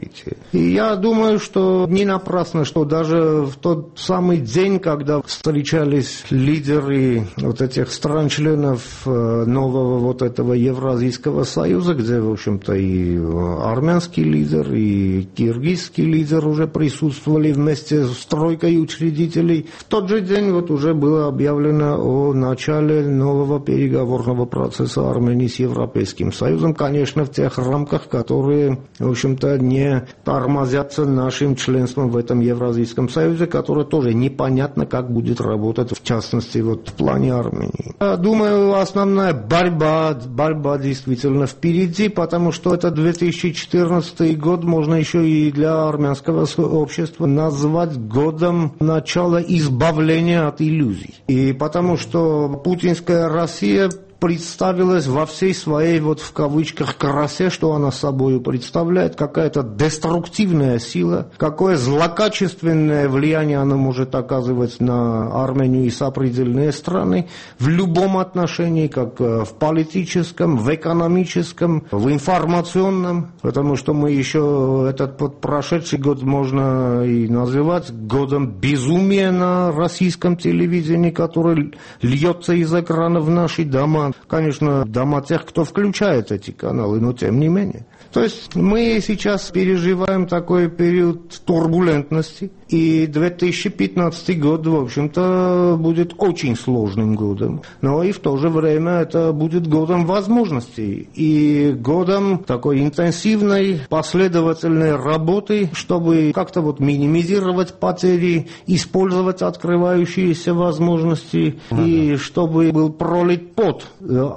И я думаю, что не напрасно, что даже в тот самый день, когда встречались лидеры вот этих стран-членов нового вот этого Евразийского союза, где, в общем-то, и армянский лидер, и киргизский лидер уже присутствовали вместе с тройкой учредителей, в тот же день вот уже было объявлено о начале нового переговорного процесса Армении с Европейским союзом, конечно, в тех рамках, которые, в общем-то, не тормозятся нашим членством в этом Евразийском союзе, которое тоже непонятно, как будет работать, в частности, вот в плане Армении. Я думаю, основная борьба, борьба действительно впереди, потому что это две тысячи четырнадцатый год можно еще и для армянского общества назвать годом начала избавления от иллюзий. И потому что путинская Россия представилась во всей своей, вот в кавычках, красе, что она собой представляет, какая-то деструктивная сила, какое злокачественное влияние она может оказывать на Армению и сопредельные страны в любом отношении, как в политическом, в экономическом, в информационном, потому что мы еще этот вот прошедший год можно и называть годом безумия на российском телевидении, который льется из экрана в наши дома. Конечно, дома тех, кто включает эти каналы, но тем не менее. То есть мы сейчас переживаем такой период турбулентности, и две тысячи пятнадцатый год, в общем-то, будет очень сложным годом. Но и в то же время это будет годом возможностей и годом такой интенсивной, последовательной работы, чтобы как-то вот минимизировать потери, использовать открывающиеся возможности, mm-hmm. и чтобы был пролит пот,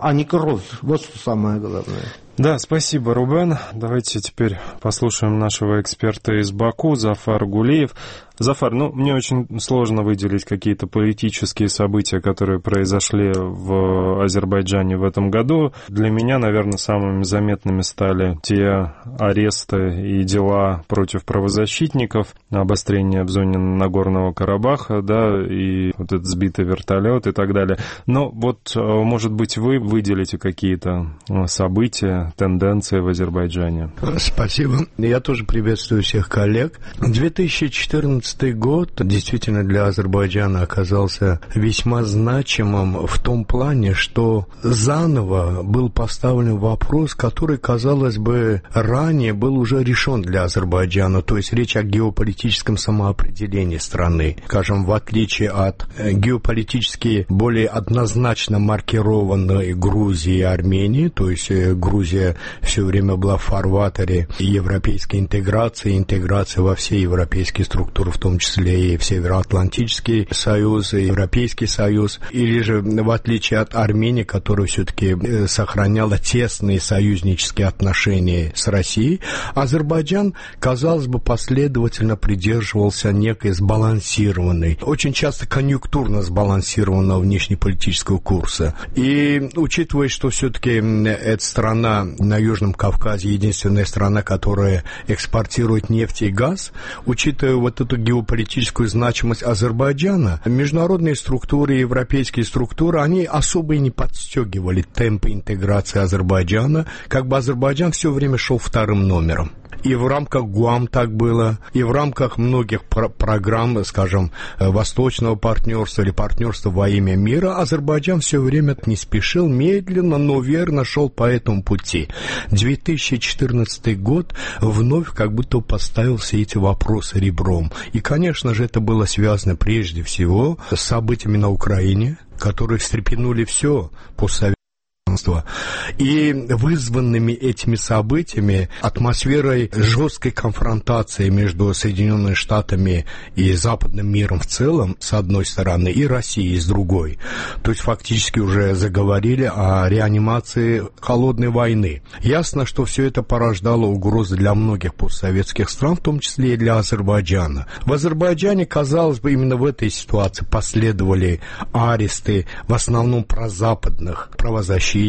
а не кровь. Вот что самое главное. Да, спасибо, Рубен. Давайте теперь послушаем нашего эксперта из Баку, Зафар Гулиев. Зафар, ну, мне очень сложно выделить какие-то политические события, которые произошли в Азербайджане в этом году. Для меня, наверное, самыми заметными стали те аресты и дела против правозащитников, обострение в зоне Нагорного Карабаха, да, и вот этот сбитый вертолет и так далее. Но вот, может быть, вы выделите какие-то события, тенденции в Азербайджане? Спасибо. Я тоже приветствую всех коллег. две тысячи четырнадцатый год действительно для Азербайджана оказался весьма значимым в том плане, что заново был поставлен вопрос, который, казалось бы, ранее был уже решен для Азербайджана, то есть речь о геополитическом самоопределении страны. Скажем, в отличие от геополитически более однозначно маркированной Грузии и Армении, то есть Грузия все время была в фарватере европейской интеграции, интеграции во все европейские структуры, в том числе и в Североатлантический союз, и Европейский союз, или же, в отличие от Армении, которая все-таки сохраняла тесные союзнические отношения с Россией, Азербайджан, казалось бы, последовательно придерживался некой сбалансированной, очень часто конъюнктурно сбалансированного внешнеполитического курса. И учитывая, что все-таки эта страна на Южном Кавказе единственная страна, которая экспортирует нефть и газ, учитывая вот эту геополитическую значимость Азербайджана, международные структуры, европейские структуры, они особо и не подстегивали темпы интеграции Азербайджана, как бы Азербайджан все время шел вторым номером. И в рамках ГУАМ так было, и в рамках многих про- программ, скажем, Восточного партнерства или партнерства во имя мира, Азербайджан все время не спешил, медленно, но верно шел по этому пути. две тысячи четырнадцатый год вновь как будто поставил все эти вопросы ребром. И, конечно же, это было связано прежде всего с событиями на Украине, которые встрепенули все постсоветское. И вызванными этими событиями, атмосферой жесткой конфронтации между Соединенными Штатами и западным миром в целом, с одной стороны, и Россией, с другой. То есть фактически уже заговорили о реанимации холодной войны. Ясно, что все это порождало угрозы для многих постсоветских стран, в том числе и для Азербайджана. В Азербайджане, казалось бы, именно в этой ситуации последовали аресты, в основном прозападных правозащитников,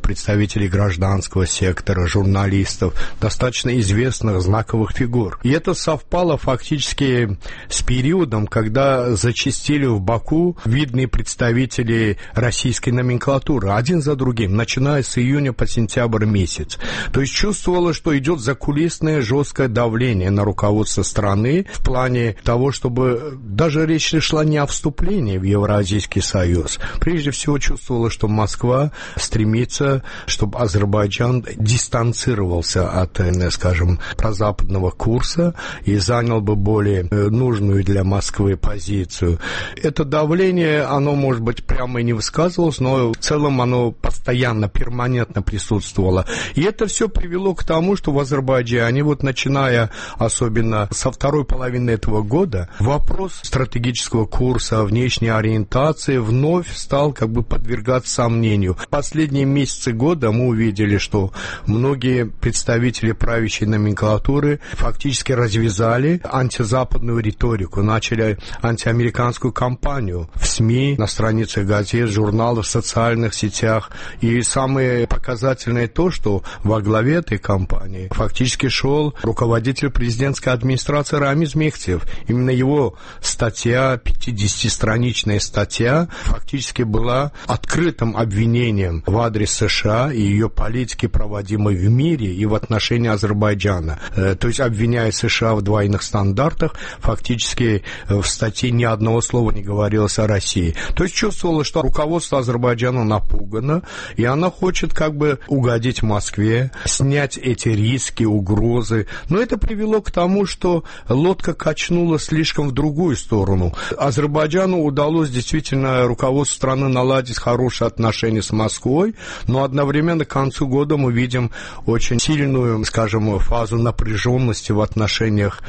представителей гражданского сектора, журналистов, достаточно известных знаковых фигур. И это совпало фактически с периодом, когда зачастили в Баку видные представители российской номенклатуры, один за другим, начиная с июня по сентябрь месяц. То есть чувствовало, что идет закулисное жесткое давление на руководство страны в плане того, чтобы даже речь шла не о вступлении в Евразийский союз. Прежде всего чувствовало, что Москва стремится, чтобы Азербайджан дистанцировался от, скажем, прозападного курса и занял бы более нужную для Москвы позицию. Это давление, оно, может быть, прямо и не высказывалось, но в целом оно постоянно, перманентно присутствовало. И это все привело к тому, что в Азербайджане, вот начиная особенно со второй половины этого года, вопрос стратегического курса, внешней ориентации вновь стал как бы подвергаться сомнению. Последние месяцы года мы увидели, что многие представители правящей номенклатуры фактически развязали антизападную риторику, начали антиамериканскую кампанию в СМИ, на страницах газет, журналов, в социальных сетях. И самое показательное то, что во главе этой кампании фактически шел руководитель президентской администрации Рамиз Мехтиев. Именно его статья, пятидесятистраничная статья, фактически была открытым обвинением в адрес США и ее политики, проводимой в мире и в отношении Азербайджана. То есть обвиняя США в двойных стандартах, фактически в статье ни одного слова не говорилось о России. То есть чувствовалось, что руководство Азербайджана напугано, и она хочет как бы угодить Москве, снять эти риски, угрозы. Но это привело к тому, что лодка качнула слишком в другую сторону. Азербайджану удалось действительно руководству страны наладить хорошие отношения с Москвой, но одновременно к концу года мы видим очень сильную, скажем, фазу напряженности в отношениях,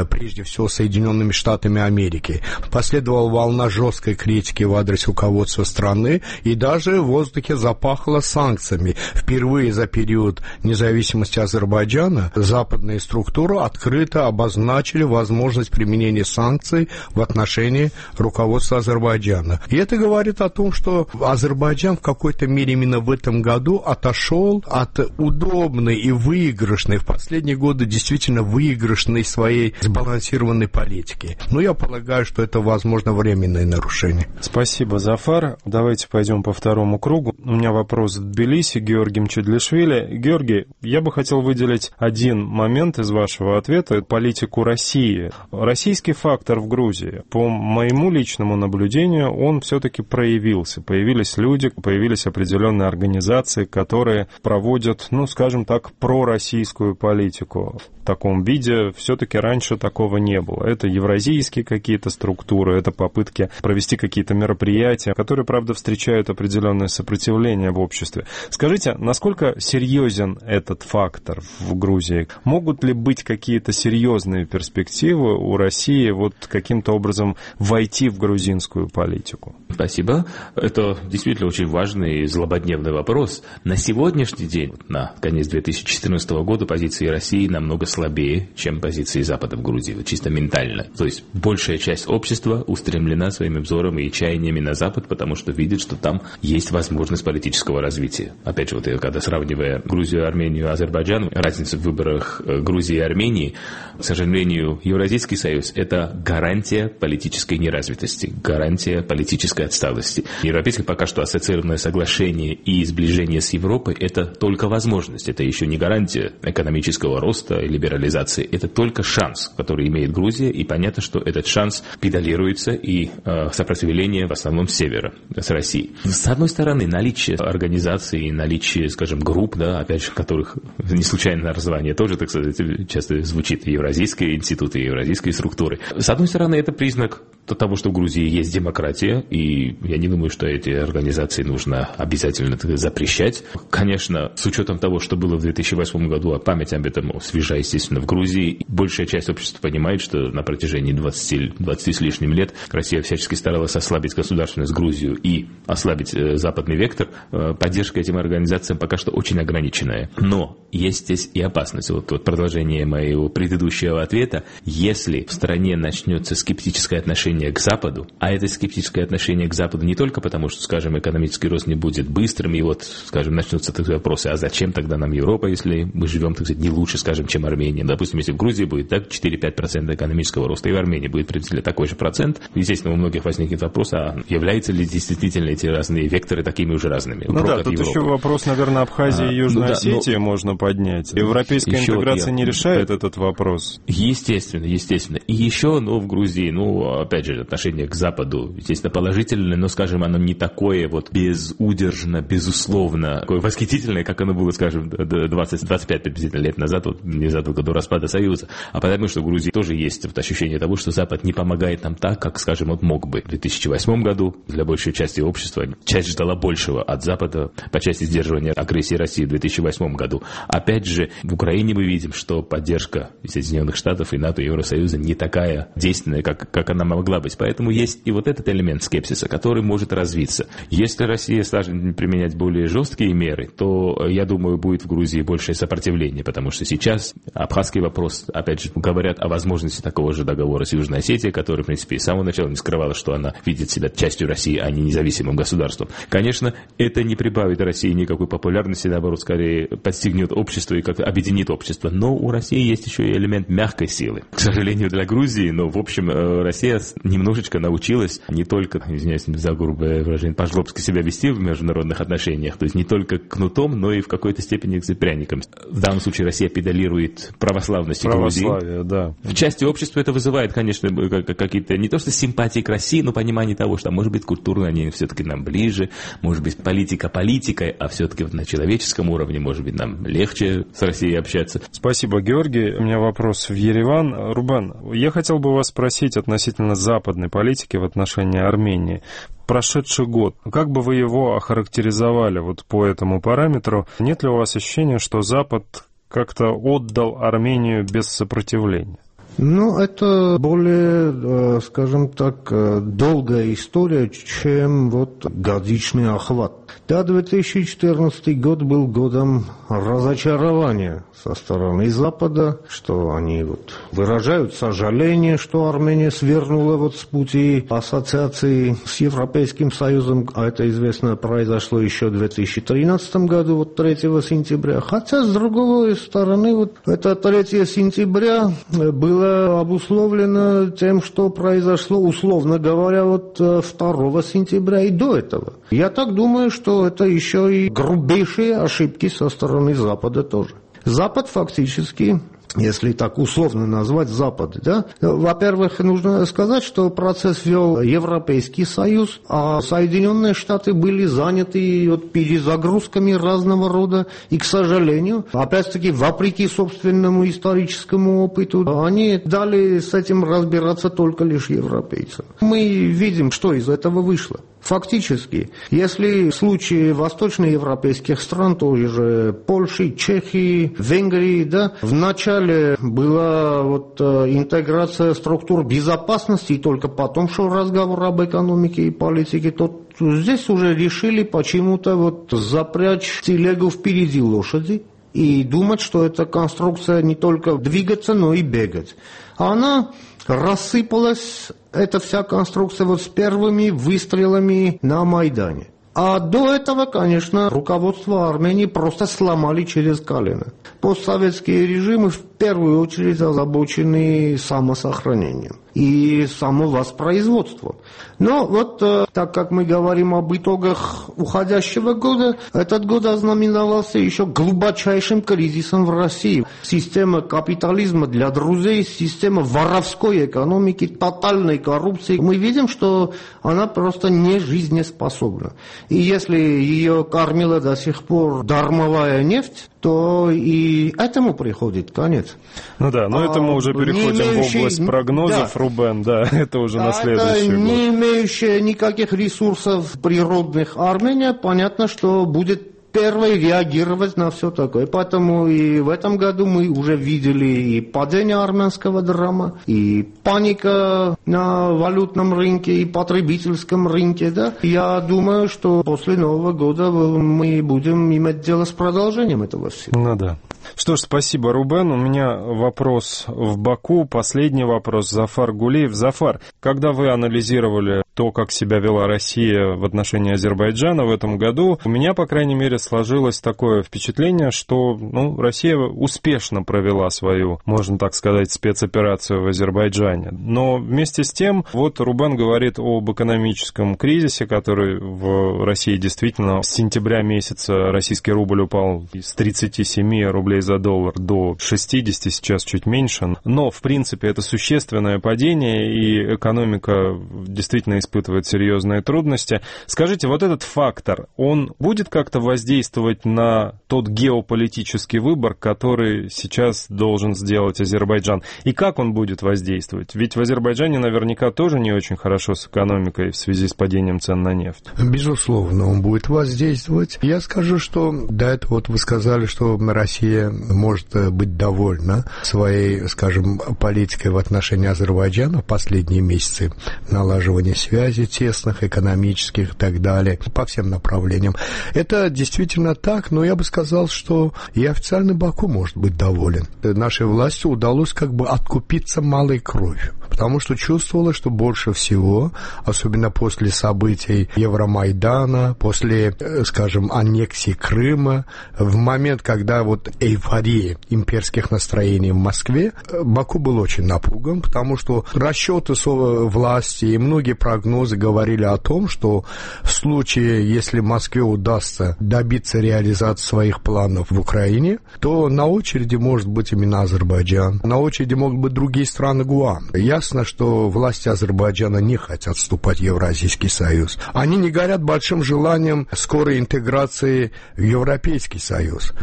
прежде всего, с Соединенными Штатами Америки. Последовала волна жесткой критики в адрес руководства страны, и даже в воздухе запахло санкциями. Впервые за период независимости Азербайджана западные структуры открыто обозначили возможность применения санкций в отношении руководства Азербайджана. И это говорит о том, что Азербайджан в какой-то мере именно в этом году отошел от удобной и выигрышной, в последние годы действительно выигрышной своей сбалансированной политики. Но я полагаю, что это, возможно, временное нарушение. Спасибо, Зафар. Давайте пойдем по второму кругу. У меня вопрос в Тбилиси, Георгий Мчедлишвили. Георгий, я бы хотел выделить один момент из вашего ответа, политику России. Российский фактор в Грузии, по моему личному наблюдению, он все-таки проявился. Появились люди, появились определенные неправительственные организации, которые проводят, ну, скажем так, пророссийскую политику. В таком виде все-таки раньше такого не было. Это евразийские какие-то структуры, это попытки провести какие-то мероприятия, которые, правда, встречают определенное сопротивление в обществе. Скажите, насколько серьезен этот фактор в Грузии? Могут ли быть какие-то серьезные перспективы у России вот каким-то образом войти в грузинскую политику? Спасибо. Это действительно очень важный и злободневный вопрос. На сегодняшний день, на конец две тысячи четырнадцатого года, позиции России намного слабее, чем позиции Запада в Грузии, вот чисто ментально. То есть большая часть общества устремлена своим взором и чаяниями на Запад, потому что видит, что там есть возможность политического развития. Опять же, вот когда сравнивая Грузию, Армению, Азербайджан, разница в выборах Грузии и Армении, к сожалению, Евразийский союз – это гарантия политической неразвитости, гарантия политической отсталости. Европейское пока что ассоциированное соглашение и сближение с Европой – это только возможность, это еще не гарантия экономического роста и либерализации, это только шанс, который имеет Грузия, и понятно, что этот шанс педалируется и э, сопротивление в основном с севера, с России. С одной стороны, наличие организаций, наличие, скажем, групп, да, опять же, которых не случайно название тоже, так сказать, часто звучит Евразийские институты, евразийские структуры. С одной стороны, это признак того, что в Грузии есть демократия, и я не думаю, что эти организации нужно обязательно запрещать. Конечно, с учетом того, что было в две тысячи восьмом году, а память об этом свежа, естественно, в Грузии, большая часть общества понимает, что на протяжении двадцати, двадцати с лишним лет Россия всячески старалась ослабить государственность Грузию и ослабить э, западный вектор. Э, поддержка этим организациям пока что очень ограниченная. Но есть здесь и опасность. Вот, вот продолжение моего предыдущего ответа. Если в стране начнется скептическое отношение к Западу, а это скептическое отношение к Западу не только потому, что, скажем, экономический рост не будет быстрым, и вот, скажем, начнутся такие вопросы, а зачем тогда нам Европа, если мы живем, так сказать, не лучше, скажем, чем Армения. Допустим, если в Грузии будет так четыре-пять процентов экономического роста, и в Армении будет приблизительно такой же процент, естественно, у многих возникнет вопрос, а являются ли действительно эти разные векторы такими уже разными? Ну да, тут Европы. Еще вопрос, наверное, Абхазии а, и Южной ну, да, Осетии но... можно поднять. Европейская еще интеграция я... не решает этот вопрос. Естественно, естественно. И еще, ну, в Грузии, ну, опять же, отношение к Западу, естественно, положительное, но, скажем, оно не такое вот безудержно, безусловно, такое восхитительное, как оно было, скажем, двадцать-двадцать пять приблизительно лет назад, вот, незадолго до распада Союза. А потому что в Грузии тоже есть вот ощущение того, что Запад не помогает нам так, как, скажем, вот мог бы. В две тысячи восьмом году для большей части общества часть ждала большего от Запада по части сдерживания агрессии России в две тысячи восьмом году. Опять же, в Украине мы видим, что поддержка Соединенных Штатов и НАТО, и Евросоюза не такая действенная, как, как она могла быть. Поэтому есть и вот этот элемент скепсиса, который может развиться. Если Россия станет применять более жесткие меры, то, я думаю, будет в Грузии большее сопротивление, потому что сейчас абхазский вопрос, опять же, говорят о возможности такого же договора с Южной Осетией, который, в принципе, с самого начала не скрывала, что она видит себя частью России, а не независимым государством. Конечно, это не прибавит России никакой популярности, наоборот, скорее подстегнет общество и как-то объединит общество. Но у России есть еще и элемент мягкой силы. К сожалению, для Грузии, но, в общем, Россия немножечко научилась не только, извиняюсь за грубое выражение, по-жлобски себя вести в международных отношениях, то есть не только кнутом, но и в какой-то степени пряником. В данном случае Россия педалирует православность Грузии. Да. В части общества это вызывает, конечно, какие-то не то что симпатии к России, но понимание того, что, может быть, культурно они все-таки нам ближе, может быть, политика политикой, а все-таки на человеческом уровне, может быть, нам легче с Россией общаться. Спасибо, Георгий. У меня вопрос в Ереван. Рубен, я хотел бы вас спросить относительно западной политики в отношении Армении. Прошедший год, как бы вы его охарактеризовали вот по этому параметру? Нет ли у вас ощущения, что Запад как-то отдал Армению без сопротивления? Ну, это более, скажем так, долгая история, чем вот годичный охват. Да, две тысячи четырнадцатый год был годом разочарования со стороны Запада, что они вот выражают сожаление, что Армения свернула вот с пути ассоциации с Европейским Союзом, а это известно произошло еще в две тысячи тринадцатом году, вот третьего сентября. Хотя, с другой стороны, вот это третьего сентября было обусловлено тем, что произошло, условно говоря, вот второго сентября и до этого. Я так думаю, что это еще и грубейшие ошибки со стороны Запада тоже. Запад фактически если так условно назвать, Запада. Да? Во-первых, нужно сказать, что процесс вел Европейский Союз, а Соединенные Штаты были заняты вот перезагрузками разного рода, и, к сожалению, опять-таки, вопреки собственному историческому опыту, они дали с этим разбираться только лишь европейцам. Мы видим, что из этого вышло. Фактически, если в случае восточноевропейских стран, той же Польши, Чехии, Венгрии, да, вначале была вот интеграция структур безопасности, и только потом шел разговор об экономике и политике, то здесь уже решили почему-то вот запрячь телегу впереди лошади и думать, что эта конструкция не только двигаться, но и бегать. Она рассыпалась, эта вся конструкция, вот с первыми выстрелами на Майдане. А до этого, конечно, руководство Армении просто сломали через колено. Постсоветские режимы в первую очередь озабочены самосохранением и самовоспроизводством. Но вот так как мы говорим об итогах уходящего года, этот год ознаменовался еще глубочайшим кризисом в России. Система капитализма для друзей, система воровской экономики, тотальной коррупции. Мы видим, что она просто не жизнеспособна. И если ее кормила до сих пор дармовая нефть, то и этому приходит конец. Ну да, но а, это мы уже переходим имеющий, в область прогнозов, да, Рубен, да, это уже да, на следующий это год. Не имеющая никаких ресурсов природных Армения, понятно, что будет первой реагировать на все такое. Поэтому и в этом году мы уже видели и падение армянского драма, и паника на валютном рынке, и потребительском рынке. Да? Я думаю, что после Нового года мы будем иметь дело с продолжением этого всего. Ну да. Что ж, спасибо, Рубен. У меня вопрос в Баку, последний вопрос. Зафар Гулиев. Зафар, когда вы анализировали то, как себя вела Россия в отношении Азербайджана в этом году, у меня, по крайней мере, сложилось такое впечатление, что ну, Россия успешно провела свою, можно так сказать, спецоперацию в Азербайджане. Но вместе с тем, вот Рубен говорит об экономическом кризисе, который в России действительно с сентября месяца российский рубль упал с тридцати семи рублей за доллар до шестидесяти, сейчас чуть меньше. Но, в принципе, это существенное падение, и экономика действительно испытывает серьезные трудности. Скажите, вот этот фактор, он будет как-то воздействовать на тот геополитический выбор, который сейчас должен сделать Азербайджан? И как он будет воздействовать? Ведь в Азербайджане наверняка тоже не очень хорошо с экономикой в связи с падением цен на нефть. Безусловно, он будет воздействовать. Я скажу, что до этого вот вы сказали, что Россия может быть довольна своей, скажем, политикой в отношении Азербайджана в последние месяцы, налаживания связей тесных, экономических и так далее, по всем направлениям. Это действительно так, но я бы сказал, что и официальный Баку может быть доволен. Нашей власти удалось как бы откупиться малой кровью, потому что чувствовала, что больше всего, особенно после событий Евромайдана, после, скажем, аннексии Крыма, в момент, когда вот эйфория имперских настроений в Москве, Баку был очень напуган, потому что расчеты власти и многие прогнозы говорили о том, что в случае, если Москве удастся добиться реализации своих планов в Украине, то на очереди может быть именно Азербайджан, на очереди могут быть другие страны ГУАМ. Ясно, что власти Азербайджана не хотят вступать в Евразийский Союз. Они не горят большим желанием скорой интеграции в Европейский Союз.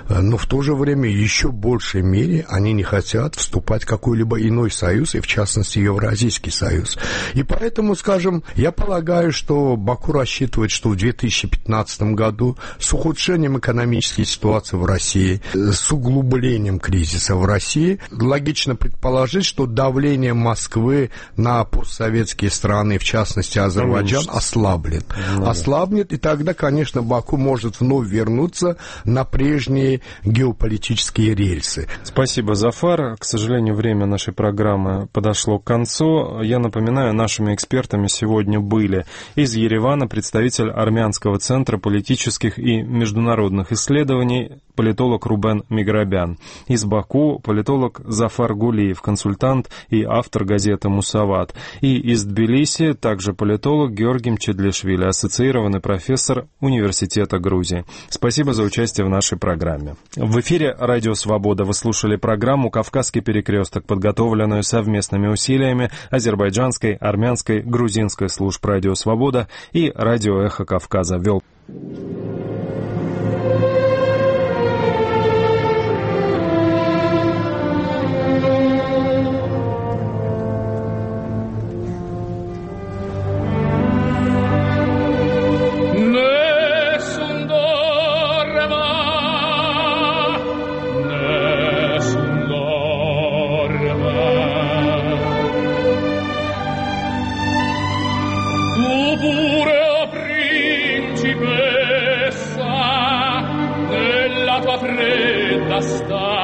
Но в то же время еще в большей мере они не хотят вступать в какой-либо иной союз, и в частности Евразийский Союз. И поэтому, скажем, я полагаю, что Баку рассчитывает, что в две тысячи пятнадцатом году с ухудшением экономической ситуации в России, с углублением кризиса в России, логично предположить, что давление Москвы на постсоветские страны, в частности Азербайджан, ослаблет. Да. Ослабнет, и тогда, конечно, Баку может вновь вернуться на прежние геополитические рельсы. Спасибо, Зафар. К сожалению, время нашей программы подошло к концу. Я напоминаю, нашими экспертами сегодня были из Еревана представитель Армянского центра политических и международных исследований, политолог Рубен Миграбян. Из Баку политолог Зафар Гулиев, консультант и автор газеты «Мусават». И из Тбилиси также политолог Георгий Мчедлишвили, ассоциированный профессор Университета Грузии. Спасибо за участие в нашей программе. В эфире «Радио Свобода» вы слушали программу «Кавказский перекресток», подготовленную совместными усилиями азербайджанской, армянской, грузинской служб «Радио Свобода» и «Радио Эхо Кавказа». Вел Sta